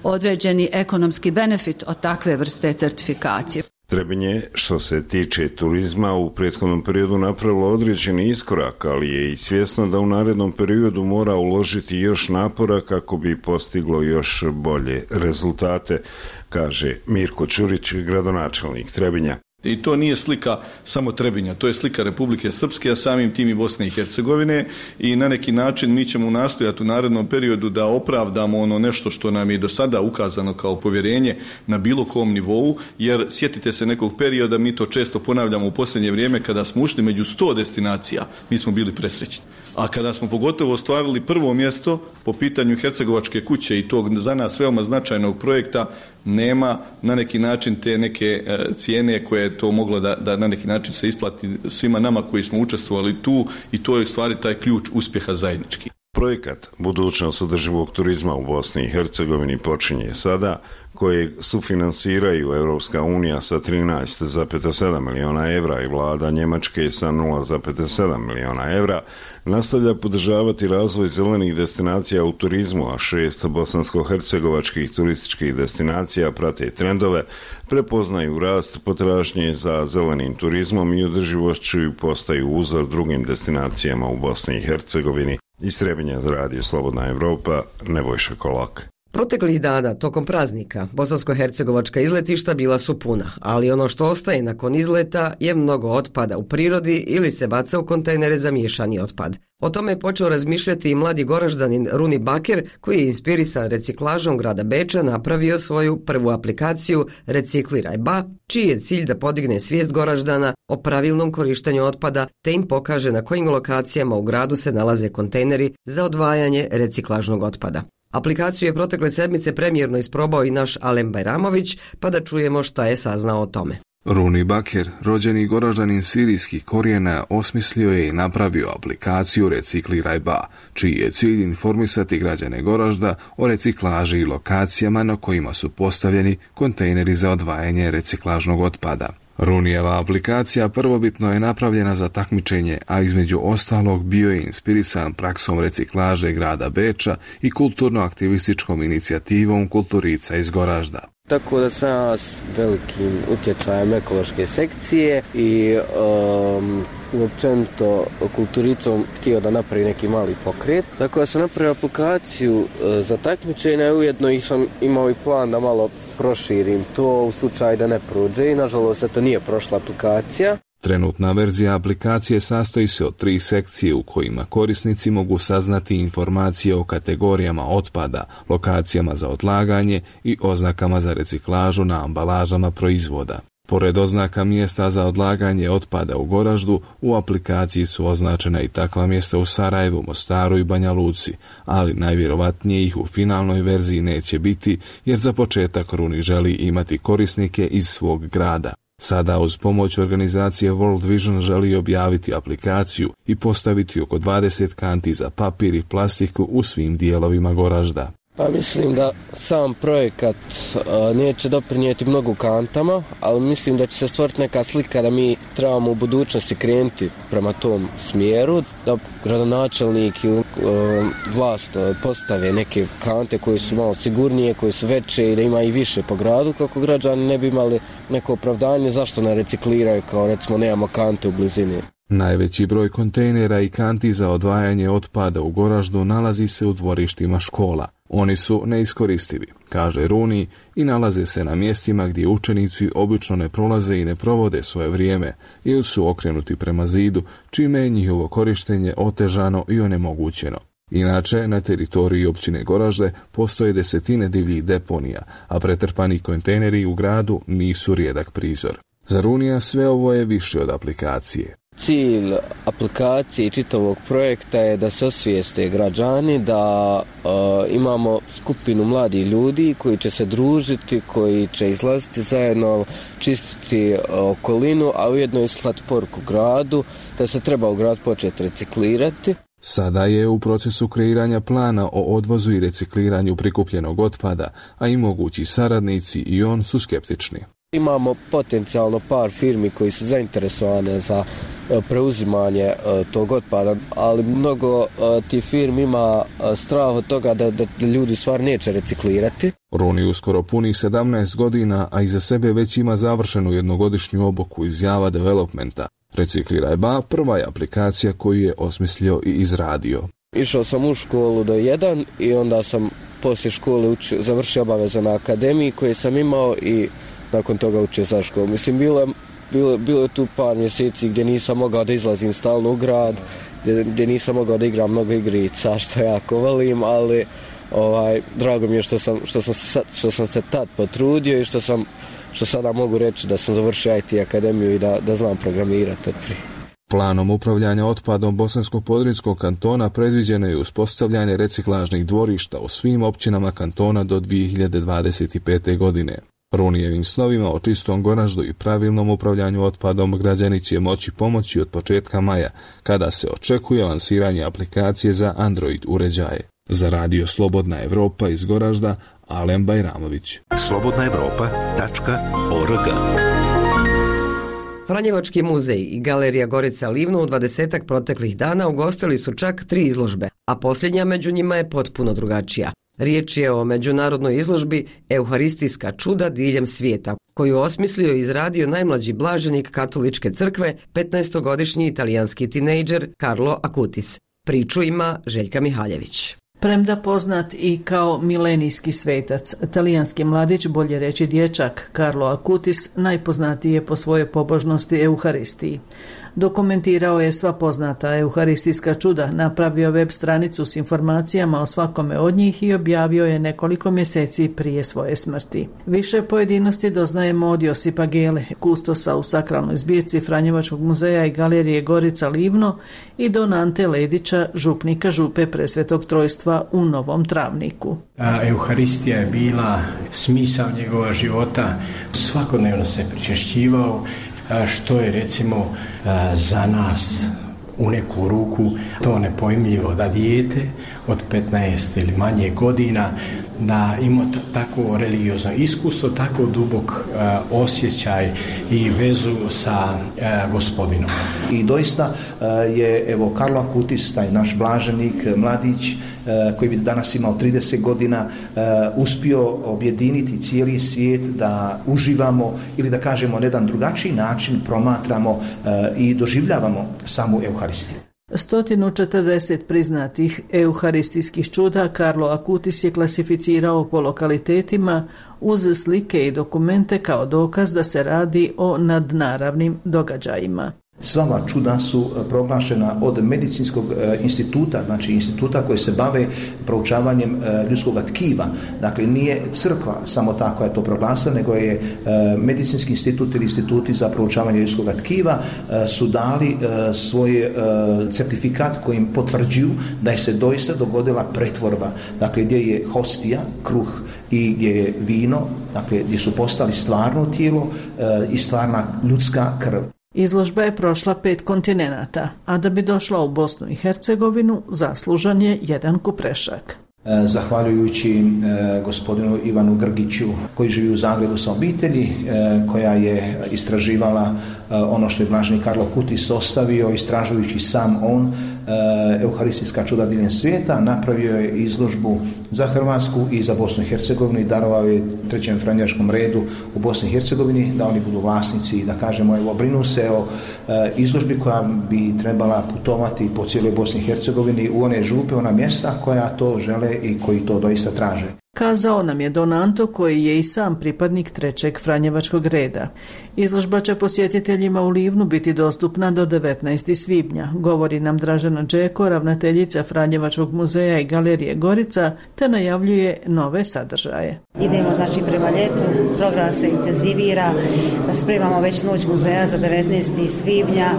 određeni ekonomski benefit od takve vrste certifikacije. Trebinje, što se tiče turizma, u prethodnom periodu napravilo određeni iskorak, ali je i svjesno da u narednom periodu mora uložiti još napora kako bi postiglo još bolje rezultate, kaže Mirko Ćurić, gradonačelnik Trebinja. I to nije slika samo Trebinja, to je slika Republike Srpske, a samim tim i Bosne i Hercegovine i na neki način mi ćemo nastojati u narednom periodu da opravdamo ono nešto što nam je do sada ukazano kao povjerenje na bilo kom nivou, jer sjetite se nekog perioda, mi to često ponavljamo u posljednje vrijeme, kada smo ušli među 100 destinacija, mi smo bili presrećni. A kada smo pogotovo ostvarili prvo mjesto po pitanju Hercegovačke kuće i tog za nas veoma značajnog projekta, nema na neki način te neke cijene koje je to moglo da na neki način se isplati svima nama koji smo učestvovali tu i to je u stvari taj ključ uspjeha zajednički. Projekat Budućnost održivog turizma u Bosni i Hercegovini počinje sada, kojeg sufinansiraju Evropska unija sa 13,7 miliona evra i vlada Njemačke sa 0,7 miliona evra, nastavlja podržavati razvoj zelenih destinacija u turizmu, a 6 bosansko-hercegovačkih turističkih destinacija prate trendove, prepoznaju rast potražnje za zelenim turizmom i održivošću i postaju uzor drugim destinacijama u Bosni i Hercegovini. Iz Trebinja za Radio Slobodna Evropa, Nebojša Kolak. Proteklih dana, tokom praznika, bosansko-hercegovačka izletišta bila su puna, ali ono što ostaje nakon izleta je mnogo otpada u prirodi ili se baca u kontejnere za miješani otpad. O tome je počeo razmišljati i mladi Goraždanin Runi Baker, koji je inspirisan reciklažom grada Beča napravio svoju prvu aplikaciju Recikliraj Ba, čiji je cilj da podigne svijest Goraždana o pravilnom korištenju otpada te im pokaže na kojim lokacijama u gradu se nalaze kontejneri za odvajanje reciklažnog otpada. Aplikaciju je protekle sedmice premijerno isprobao i naš Alen Bajramović, pa da čujemo šta je saznao o tome. Runi Baker, rođeni Goraždanin sirijskih korijena, osmislio je i napravio aplikaciju Recikliraj Ba, čiji je cilj informisati građane Goražda o reciklaži i lokacijama na kojima su postavljeni kontejneri za odvajanje reciklažnog otpada. Runijeva aplikacija prvobitno je napravljena za takmičenje, a između ostalog bio je inspirisan praksom reciklaže grada Beča i kulturno-aktivističkom inicijativom Kulturica iz Goražda. Tako da sam ja s velikim utjecajem ekološke sekcije i općenito kulturicom htio da napravi neki mali pokret. Tako da sam napravio aplikaciju za takmičenje, ujedno i sam imao i plan da malo proširim to u slučaju da ne prođe i nažalost to nije prošla aplikacija. Trenutna verzija aplikacije sastoji se od 3 sekcije u kojima korisnici mogu saznati informacije o kategorijama otpada, lokacijama za odlaganje i oznakama za reciklažu na ambalažama proizvoda. Pored oznaka mjesta za odlaganje otpada u Goraždu, u aplikaciji su označena i takva mjesta u Sarajevu, Mostaru i Banja Luci, ali najvjerovatnije ih u finalnoj verziji neće biti, jer za početak Runi želi imati korisnike iz svog grada. Sada uz pomoć organizacije World Vision želi objaviti aplikaciju i postaviti oko 20 kanti za papir i plastiku u svim dijelovima Goražda. Pa mislim da sam projekat neće doprinijeti mnogo kantama, ali mislim da će se stvoriti neka slika da mi trebamo u budućnosti krenuti prema tom smjeru, da gradonačelnik ili vlast postave neke kante koje su malo sigurnije, koje su veće i da ima i više po gradu, kako građani ne bi imali neko opravdanje zašto ne recikliraju, kao recimo nemamo kante u blizini. Najveći broj kontejnera i kanti za odvajanje otpada u Goraždu nalazi se u dvorištima škola. Oni su neiskoristivi, kaže Runi, i nalaze se na mjestima gdje učenici obično ne prolaze i ne provode svoje vrijeme ili su okrenuti prema zidu, čime je njihovo korištenje otežano i onemogućeno. Inače, na teritoriji općine Goražde postoje desetine divljih deponija, a pretrpani kontejneri u gradu nisu rijedak prizor. Za Runija sve ovo je više od aplikacije. Cilj aplikacije i čitavog projekta je da se osvijeste građani, da imamo skupinu mladih ljudi koji će se družiti, koji će izlaziti zajedno, čistiti okolinu, a ujedno i slati poruku gradu da se treba u grad početi reciklirati. Sada je u procesu kreiranja plana o odvozu i recikliranju prikupljenog otpada, a i mogući saradnici i on su skeptični. Imamo potencijalno par firmi koji su zainteresovane za preuzimanje tog otpada, ali mnogo tih firmi ima strah od toga da ljudi stvar neće reciklirati. Runi uskoro puni 17 godina, a iza sebe već ima završenu jednogodišnju obuku iz Java Developmenta. Recikliraj ba prva je aplikacija koju je osmislio i izradio. Išao sam u školu do 1 i onda sam poslije škole završio obaveze na akademiji koje sam imao i nakon toga učio za školu. Mislim, bilo je tu par mjeseci gdje nisam mogao da izlazim stalno u grad, gdje nisam mogao da igram mnogo igrica, što jako volim, ali drago mi je što sam se tad potrudio i što sada mogu reći da sam završio IT akademiju i da znam programirati od prije. Planom upravljanja otpadom Bosansko-Podrinjskog kantona predviđeno je uspostavljanje reciklažnih dvorišta u svim općinama kantona do 2025. godine. Runijevim snovima o čistom Goraždu i pravilnom upravljanju otpadom građani će moći pomoći od početka maja, kada se očekuje lansiranje aplikacije za Android uređaje. Za radio Slobodna Evropa iz Goražda, Alen Bajramović. slobodnaevropa.org. Franjevački muzej i galerija Gorica Livno u 20 proteklih dana ugostili su čak 3 izložbe, a posljednja među njima je potpuno drugačija. Riječ je o međunarodnoj izložbi Euharistijska čuda diljem svijeta, koju osmislio i izradio najmlađi blaženik katoličke crkve, 15-godišnji italijanski tinejdžer Carlo Acutis. Priču ima Željka Mihaljević. Premda poznat i kao milenijski svetac, talijanski mladić, bolje reći dječak, Carlo Acutis, najpoznatiji je po svojoj pobožnosti Euharistiji. Dokumentirao je sva poznata euharistijska čuda, napravio web stranicu s informacijama o svakome od njih i objavio je nekoliko mjeseci prije svoje smrti. Više pojedinosti doznajemo od Josipa Gele, kustosa u sakralnoj zbirci Franjevačkog muzeja i galerije Gorica Livno, i don Ante Ledića, župnika župe Presvetog Trojstva u Novom Travniku. Euharistija je bila smisao njegova života, svakodnevno se pričešćivao, što je recimo za nas u neku ruku to nepojmljivo da dijete od 15 ili manje godina da ima tako religiozno iskustvo, tako dubok osjećaj i vezu sa Gospodinom. I doista je evo Carlo Acutis, taj naš blaženik, mladić koji bi danas imao 30 godina, uspio objediniti cijeli svijet da uživamo ili da kažemo na jedan drugačiji način promatramo i doživljavamo samu Euharistiju. 140 priznatih euharistijskih čuda Carlo Acutis je klasificirao po lokalitetima uz slike i dokumente kao dokaz da se radi o nadnaravnim događajima. Sva ova čuda su proglašena od medicinskog instituta, znači instituta koji se bave proučavanjem ljudskog tkiva. Dakle, nije crkva samo ta koja je to proglasila, nego je medicinski institut ili instituti za proučavanje ljudskog tkiva su dali svoj certifikat kojim potvrđuju da je se doista dogodila pretvorba. Dakle, gdje je hostija, kruh i gdje je vino, dakle, gdje su postali stvarno tijelo i stvarna ljudska krv. Izložba je prošla 5 kontinenata, a da bi došla u Bosnu i Hercegovinu zaslužan je jedan kuprešak. Zahvaljujući gospodinu Ivanu Grgiću koji živi u Zagrebu sa obitelji, koja je istraživala ono što je blaženi Carlo Acutis ostavio, istražujući sam on Euharistijska čuda diljem svijeta, napravio je izložbu za Hrvatsku i za Bosnu i Hercegovinu i darovao je Trećem franjevačkom redu u Bosni i Hercegovini da oni budu vlasnici i da kažemo evo brinu se o izložbi koja bi trebala putovati po cijeloj Bosni i Hercegovini u one župe, ona mjesta koja to žele i koji to doista traže. Kazao nam je Don Anto, koji je i sam pripadnik Trećeg franjevačkog reda. Izložba će posjetiteljima u Livnu biti dostupna do 19. svibnja, govori nam Dražana Đeko, ravnateljica Franjevačkog muzeja i galerije Gorica, te najavljuje nove sadržaje. Idemo znači prema ljetu, program se intenzivira, spremamo već noć muzeja za 19. svibnja,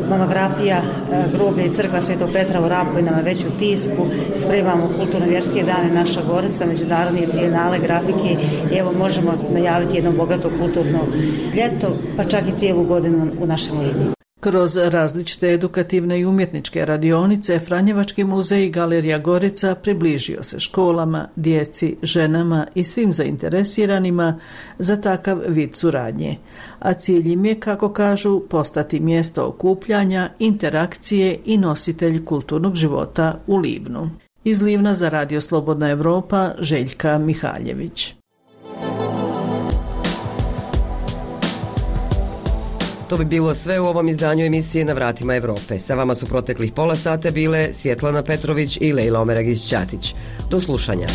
monografija groblje i crkva Svetog Petra u Rapu nam je već u tisku, spremamo kulturno-vjerske dane naša Gorica, međunarodne trijenale grafike i evo možemo najaviti jedno bogato kulturno ljeto, pa čak i cijelu godinu u našem Livnu. Kroz različite edukativne i umjetničke radionice, Franjevački muzej i galerija Gorica približio se školama, djeci, ženama i svim zainteresiranima za takav vid suradnje. A cilj im je, kako kažu, postati mjesto okupljanja, interakcije i nositelj kulturnog života u Livnu. Iz Livna za Radio Slobodna Evropa, Željka Mihaljević. To bi bilo sve u ovom izdanju emisije Na vratima Evrope. Sa vama su proteklih pola sata bile Svjetlana Petrović i Lejla Omeragić-Ćatić. Do slušanja.